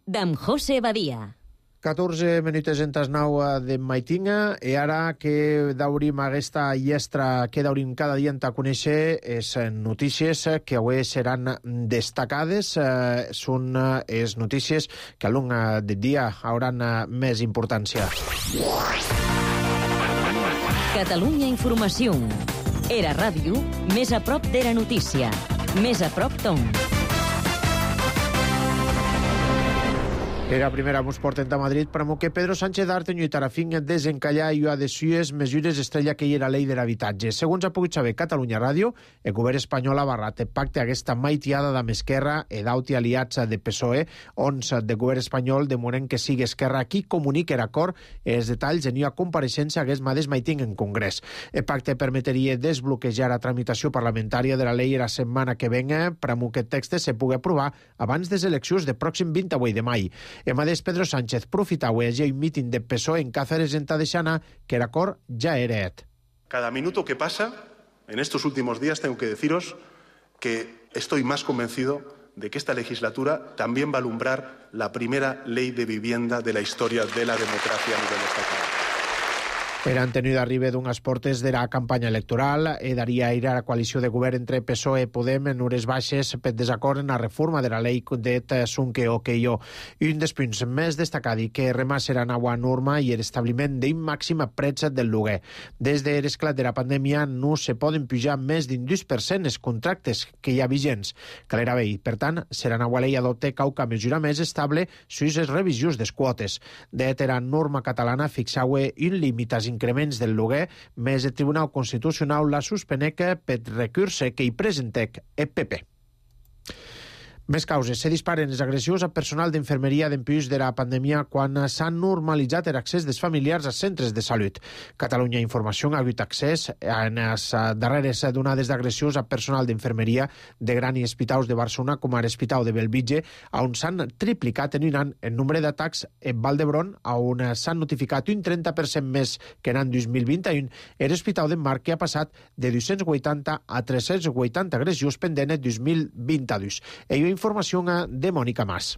d'Am José Badia. catorze minuts en tas nou de Maitinga, i ara que daurim aquesta llestra que daurim cada dia en ta conèixer és notícies que avui seran destacades. Eh, són les notícies que a long del dia hauran més importància. Catalunya Informació. Era ràdio, més a prop de la notícia. Més a prop ton. Era primera mos porten a Madrid, però que Pedro Sánchez d'Artenyo i Tarafín desencallar i a desues mesures estrella que hi era llei de l'habitatge. Segons ha pogut saber Catalunya Ràdio, el govern espanyol ha barrat el pacte aquesta maitiada d'Am Esquerra e d'auti aliats de P S O E, ons de govern espanyol demoren que sigui Esquerra qui comunique l'acord i els detalls en una compareixença hagués mateix maiting en Congrés. El pacte permetria desbloquejar la tramitació parlamentària de la llei la setmana que venga, però que el text se pugui aprovar abans des eleccions del pròxim vint-i-vuit de maig. El mateix Pedro Sánchez profitau a un míting de P S O E en Cáceres en Tadeixana que l'acord ja era et. Cada minuto que pasa, en estos últimos días, tengo que deciros que estoy más convencido de que esta legislatura también va a alumbrar la primera ley de vivienda de la historia de la democracia a nivel estatal. Eren tenir d'arriba d'unes portes de la campanya electoral e daria aire a la coalició de govern entre P S O E i Podem en hores baixes per desacord en la reforma de la llei de Sunque o que jo. I un dels punts més destacat i que remà serà nova norma i l'establiment d'un màxim preu del lloguer. Des de l'esclat de la pandèmia no se poden pujar més d'un dos per cent els contractes que hi ha vigents. Calera bé, per tant, serà nova llei adopte cauca mesura més estable sus les revisions des quotes. De la norma catalana fixau un límit als increments del lloguer, més el Tribunal Constitucional la suspenec per recurse que hi presentec el P P. Més causes. Se disparen les agressions a personal d'infermeria d'empús de la pandèmia quan s'ha normalitzat l'accés dels familiars a centres de salut. Catalunya Informació ha hagut accés en les darreres donades d'agressions a personal d'infermeria de gran i hospitals de Barcelona com a l'Hospital de Bellvitge, on s'han triplicat en un any el nombre d'atacs en Vall d'Hebron, on s'han notificat un trenta per cent més que en l'any dos mil vint-i-u, i l'Hospital de Mar, que ha passat de dos-cents vuitanta a tres-cents vuitanta agressions pendents en dos mil vint-i-dos. Ell informació de Mònica Mas.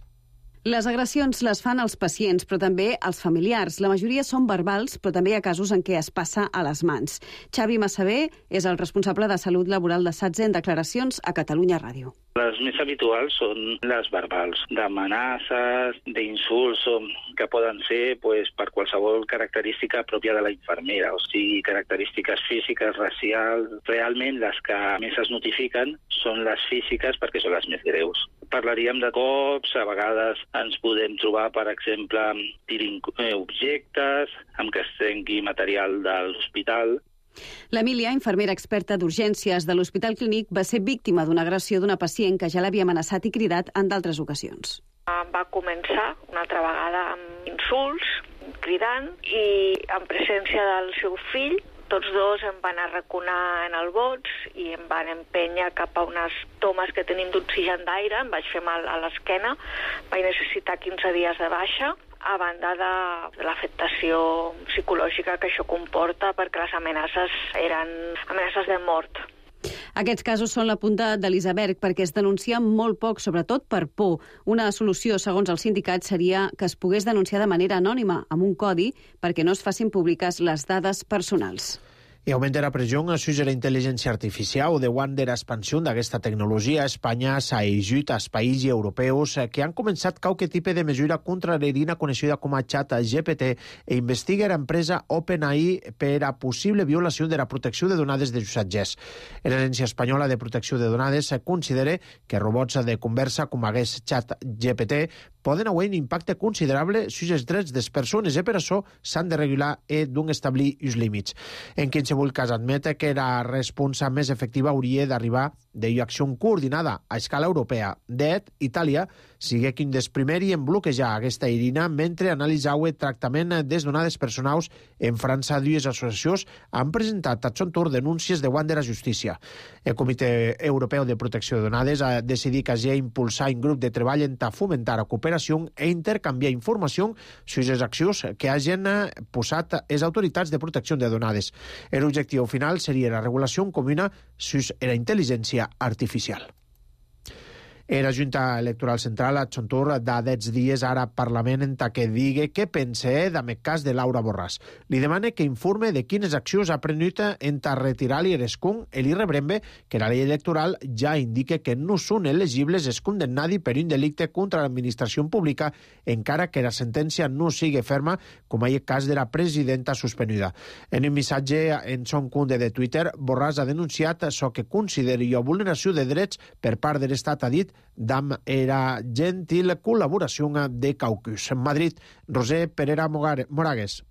Les agressions les fan els pacients, però també els familiars. La majoria són verbals, però també hi ha casos en què es passa a les mans. Xavi Massavé és el responsable de Salut Laboral de SATSE en declaracions a Catalunya Ràdio. Les més habituals són les verbals, d'amenaces, d'insults, que poden ser pues, per qualsevol característica pròpia de la infermera, o sigui, característiques físiques, racials. Realment, les que més es notifiquen són les físiques perquè són les més greus. Parlaríem de cops, a vegades ens podem trobar, per exemple, tirant objectes, amb que es trenqui material de l'hospital. L'Emília, infermera experta d'urgències de l'Hospital Clínic, va ser víctima d'una agressió d'una pacient que ja l'havia amenaçat i cridat en d'altres ocasions. Va començar una altra vegada amb insults, cridant, i en presència del seu fill, tots dos em van arraconar en el bots i em van empènyer cap a unes tomes que tenim d'oxigen d'aire, em vaig fer mal a l'esquena, vaig necessitar quinze dies de baixa, a banda de l'afectació psicològica que això comporta, perquè les amenaces eren amenaces de mort. Aquests casos són la punta de l'iceberg perquè es denuncia molt poc, sobretot per por. Una solució, segons el sindicat, seria que es pogués denunciar de manera anònima, amb un codi, perquè no es facin públiques les dades personals. I augmenta la pressió sobre la intel·ligència artificial. Davant de l'expansió d'aquesta tecnologia, Espanya s'ha ajut als països europeus que han començat qualque tipus de mesura contra l'eina coneixida com a xat G P T e investiga l'empresa OpenAI per a possible violació de la protecció de donades de usatgers. L'Agència Espanyola de Protecció de Donades considera que robots de conversa com aquest xat G P T poden haver un impacte considerable sobre els drets de les persones i per això s'han de regular i d'un establir els límits. En qualsevol cas admete que la resposta més efectiva hauria d'arribar de acció coordinada a escala europea. D'et, Itàlia sigue quin dels primers en bloquejar aquesta eina mentre analitzava el tractament des donades personals. En França, dues associacions han presentat a son torn denúncies davant de la justícia. El Comitè Europeu de Protecció de Donades ha decidit que hagi impulsar un grup de treball en fomentar la cooperació e intercanviar informació sobre les accions que hagin posat les autoritats de protecció de donades. L'objectiu final seria la regulació comuna sobre la intel·ligència artificial. La Junta Electoral Central a Xontur da dez dies ara al Parlament en que digui què pensa del cas de Laura Borràs. Li demana que informe de quines accions ha prenut en retirar-li l'escó i li rebrembe que la llei electoral ja indica que no són elegibles els condemnats per un delicte contra l'administració pública, encara que la sentència no sigui ferma, com és el cas de la presidenta suspenuda. En un missatge en son compte de Twitter, Borràs ha denunciat això que considera vulneració de drets per part de l'Estat, ha dit, d'am era gentil col·laboració de caucus. En Madrid, Roser Perera Moragues.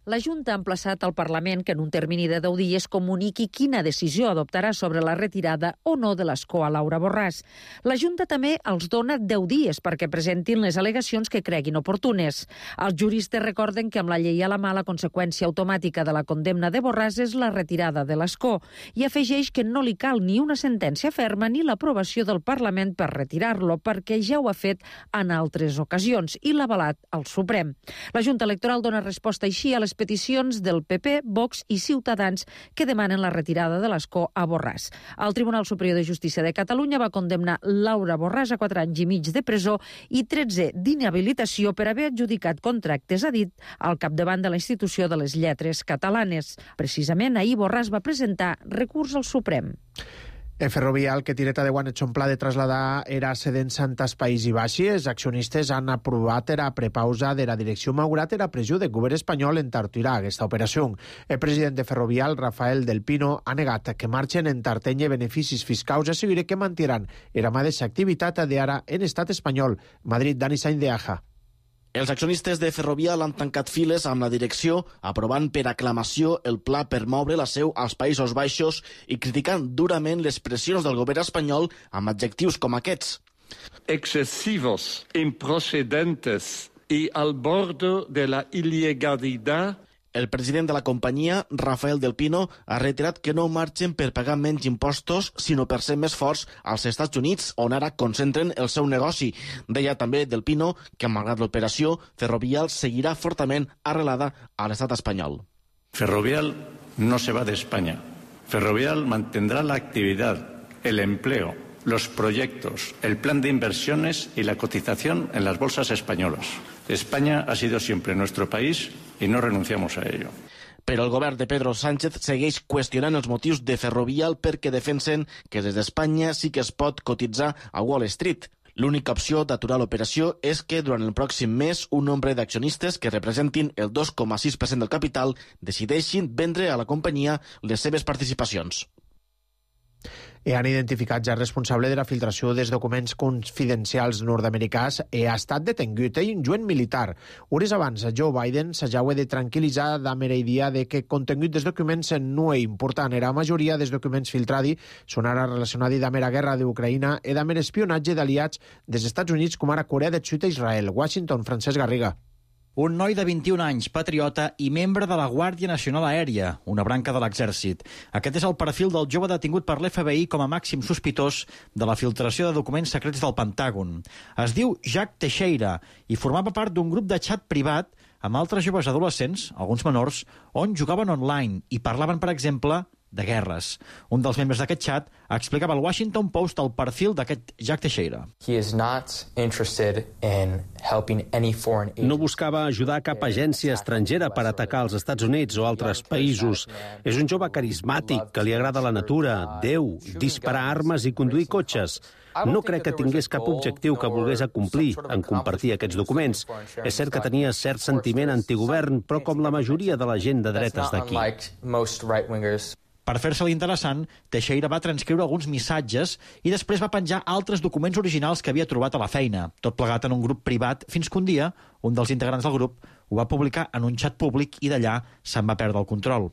La Junta ha emplaçat al Parlament que en un termini de deu dies comuniqui quina decisió adoptarà sobre la retirada o no de l'escó a Laura Borràs. La Junta també els dona deu dies perquè presentin les al·legacions que creguin oportunes. Els juristes recorden que amb la llei a la mà la conseqüència automàtica de la condemna de Borràs és la retirada de l'escó i afegeix que no li cal ni una sentència ferma ni l'aprovació del Parlament per retirar-lo perquè ja ho ha fet en altres ocasions i l'ha avalat al Suprem. La Junta Electoral dona resposta així a les peticions del P P, Vox i Ciutadans que demanen la retirada de l'escó a Borràs. El Tribunal Superior de Justícia de Catalunya va condemnar Laura Borràs a quatre anys i mig de presó i tretze d'inhabilitació per haver adjudicat contractes, ha dit, al capdavant de la Institució de les Lletres Catalanes. Precisament ahir Borràs va presentar recurs al Suprem. El Ferrovial, que tireta de guanet son pla de trasladar era cedent Santas País i Baixi, els accionistes han aprovat la prepausa de la direcció malgrat la pressió del govern espanyol en tartirar aquesta operació. El president de Ferrovial, Rafael del Pino, ha negat que marxen en tartenya beneficis fiscals i assegura que mantindran la mateixa activitat d'ara en estat espanyol. Madrid, Dani Sainz de Aja. Els accionistes de Ferrovial han tancat files amb la direcció, aprovant per aclamació el pla per moure la seu als Països Baixos i criticant durament les pressions del govern espanyol amb adjectius com aquests. Excesivos, improcedentes y al borde de la ilegalidad. El president de la companyia, Rafael del Pino, ha reiterat que no marxen per pagar menys impostos, sinó per ser més forts als Estats Units, on ara concentren el seu negoci. Deia també del Pino que, malgrat l'operació, Ferrovial seguirà fortament arrelada a l'estat espanyol. Ferrovial no se va de España. Ferrovial mantendrá la actividad, el empleo los proyectos, el plan de inversiones y la cotización en las bolsas españolas. España ha sido siempre nuestro país y no renunciamos a ello. Però el govern de Pedro Sánchez segueix qüestionant els motius de Ferrovial perquè defensen que des d'Espanya sí que es pot cotitzar a Wall Street. L'única opció d'aturar l'operació és que durant el pròxim mes un nombre d'accionistes que representin el dos coma sis per cent del capital decideixin vendre a la companyia les seves participacions. I han identificat ja el responsable de la filtració dels documents confidencials nord-americans i ha estat detingut en un juent militar. Hores abans, Joe Biden s'ajaua de tranquil·litzar d'Amera idea de que contengut dels documents no és important. Era la majoria dels documents filtrats són ara relacionats amb la guerra d'Ucraïna i amb l'espionatge d'aliats dels Estats Units com ara Corea del Sud i Israel. Washington, Francesc Garriga. Un noi de vint-i-un anys, patriota i membre de la Guàrdia Nacional Aèria, una branca de l'exèrcit. Aquest és el perfil del jove detingut per l'F B I com a màxim sospitós de la filtració de documents secrets del Pentàgon. Es diu Jack Teixeira i formava part d'un grup de xat privat amb altres joves adolescents, alguns menors, on jugaven online i parlaven, per exemple, de guerres. Un dels membres d'aquest xat explicava al Washington Post el perfil d'aquest Jack Teixeira. No buscava ajudar cap agència estrangera per atacar els Estats Units o altres països. És un jove carismàtic que li agrada la natura, Déu, disparar armes i conduir cotxes. No crec que tingués cap objectiu que volgués acomplir en compartir aquests documents. És cert que tenia cert sentiment antigovern, però com la majoria de la gent de dretes d'aquí. Per fer-se-li interessant, Teixeira va transcriure alguns missatges i després va penjar altres documents originals que havia trobat a la feina, tot plegat en un grup privat, fins que un dia un dels integrants del grup ho va publicar en un xat públic i d'allà se'n va perdre el control.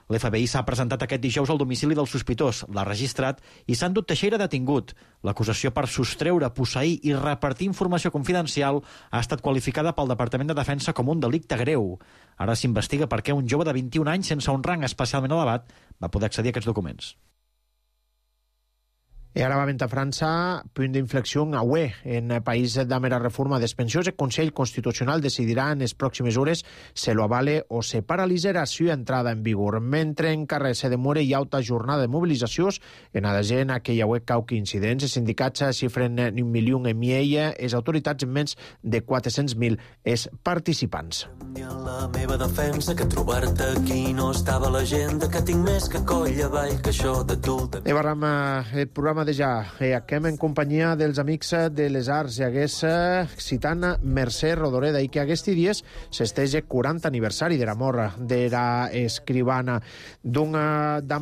L'F B I s'ha presentat aquest dijous al domicili del sospitós, l'ha registrat i s'ha endut Teixeira detingut. L'acusació per sostreure, posseir i repartir informació confidencial ha estat qualificada pel Departament de Defensa com un delicte greu. Ara s'investiga per què un jove de vint-i-un anys sense un rang especialment elevat va poder accedir a aquests documents. I ara va a França, punt d'inflexió a U E. En el país de la reforma des pensions, el Consell Constitucional decidirà en les pròximes hores si lo avale o se paralitzarà su entrada en vigor. Mentre en carrer se demora i alta jornada de mobilitzacions, en la gent que hi ha cauqui incidents, els sindicats xifren un milió en miella, les autoritats en menys de quatre-cents mil els participants. La meva defensa que trobar-te aquí no estava a l'agenda, que tinc més que coll avall que això de tu. I barram el programa de ja. Eh, acabem en companyia dels amics de les arts i hagués eh, citant Mercè Rodoreda i que aquests dies s'estege quaranta aniversari de la mort de la escribana. D'un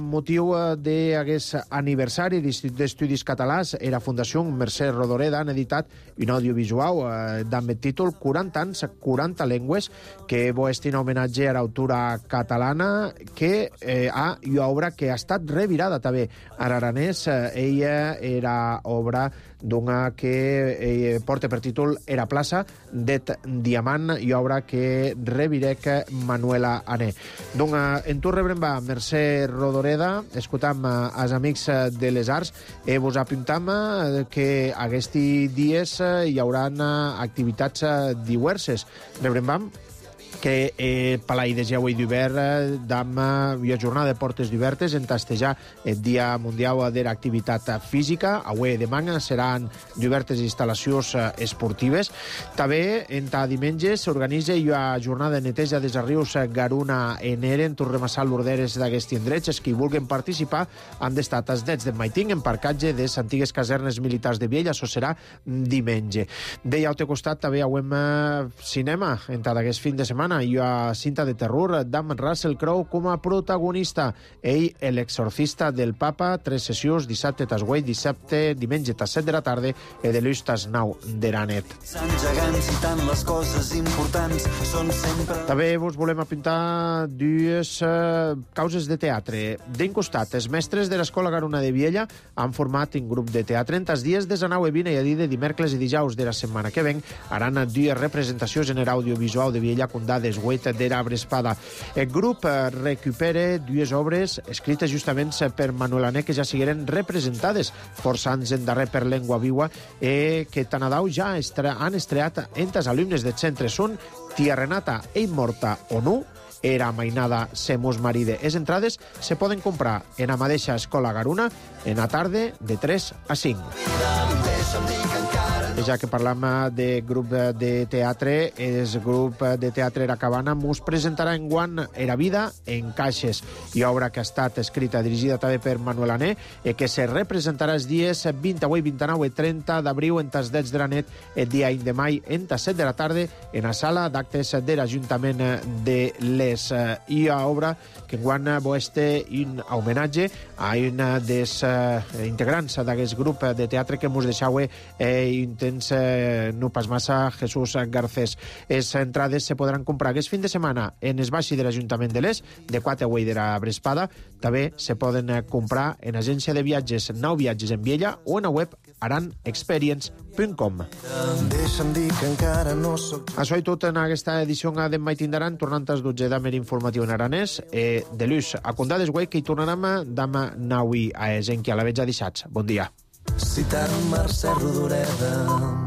motiu d'aquest aniversari, l'Institut d'Estudis Catalans i la Fundació Mercè Rodoreda han editat un audiovisual eh, amb el títol quaranta anys, quaranta llengües, que és un homenatge a l'autora catalana que eh, ha una obra que ha estat revirada també a l'aranès. Eh, ella era obra d'una que eh, porta per títol Era plaça d'et diamant i obra que revirec Manuela Ané. Donc, en tu rebrem va Mercè Rodoreda, escoltam als amics de les arts i vos apuntam que aquests dies hi haurà activitats diverses. Rebrem vam que eh, Palai de Geu i d'Hivern d'am una jornada de portes obertes en tastejar el Dia Mundial de l'Activitat Física. Avui demà seran diverses instal·lacions esportives. També, en ta diumenge, s'organitza una jornada de neteja dels rius Garuna en Eren. Tornem a sal l'orderes d'aquests indrets. Els que vulguin participar han d'estar als nets de Maiting, en parcatge de les antigues casernes militars de Viella. Això serà diumenge. Deia al teu costat també avem cinema en ta d'aquest fin de setmana. Hi ha cinta de terror d'Am Russell Crowe com a protagonista. Ell, l'exorcista del papa, tres sessions, dissabte tas vuit, dissabte, diumenge tas set de la tarda i de l'ús tas nou de la net. També vos volem apuntar dues uh, causes de teatre. D'un costat, els mestres de l'Escola Garuna de Viella han format un grup de teatre en tas dies de nou i vint i a dir de dimecres i dijous de la setmana que ven haran dues representacions en l'audiovisual de Viella condades vuit de l'Arbre Espada. El grup recupera dues obres escrites justament per Manuel Ané que ja sigueren representades força anys endarrer per Llengua Viva i que tan adau ja estre han estreat entre els alumnes del centre. Són Tia Renata, Ell morta o no, era mainada Semus Maride. Les entrades se poden comprar en la mateixa Escola Garuna en la tarda de tres a cinc. Ja que parlam de grup de teatre, el grup de teatre Era Cabana mos presentarà enguant Era Vida en Caixes, i obra que ha estat escrita, dirigida també per Manuel Ané, i que se representarà els dies vint-i-vuit, vint-i-nou i trenta d'abril en tas dets de la nit, el dia un de mai, en tas set de la tarda, en la sala d'actes de l'Ajuntament de Les. I a obra que enguant este un homenatge a una dels integrants d'aquest grup de teatre que mos deixau eh, intents eh, no pas massa, Jesús Garcés. Les entrades se podran comprar aquest fin de setmana en es baixi de l'Ajuntament de l'Es, de quatre de la Brespada. També se poden comprar en agència de viatges Nou Viatges en Viella o en la web aran experience punt com. Això i tot en aquesta edició d'en Mai Tindaran, tornant als dotze d'Amer informatiu en aranès, eh, de l'ús a Condades, güey, que hi tornarem demà naui a Esenqui a la vetja dissats. Bon dia. Citant Mercè Rodoreda.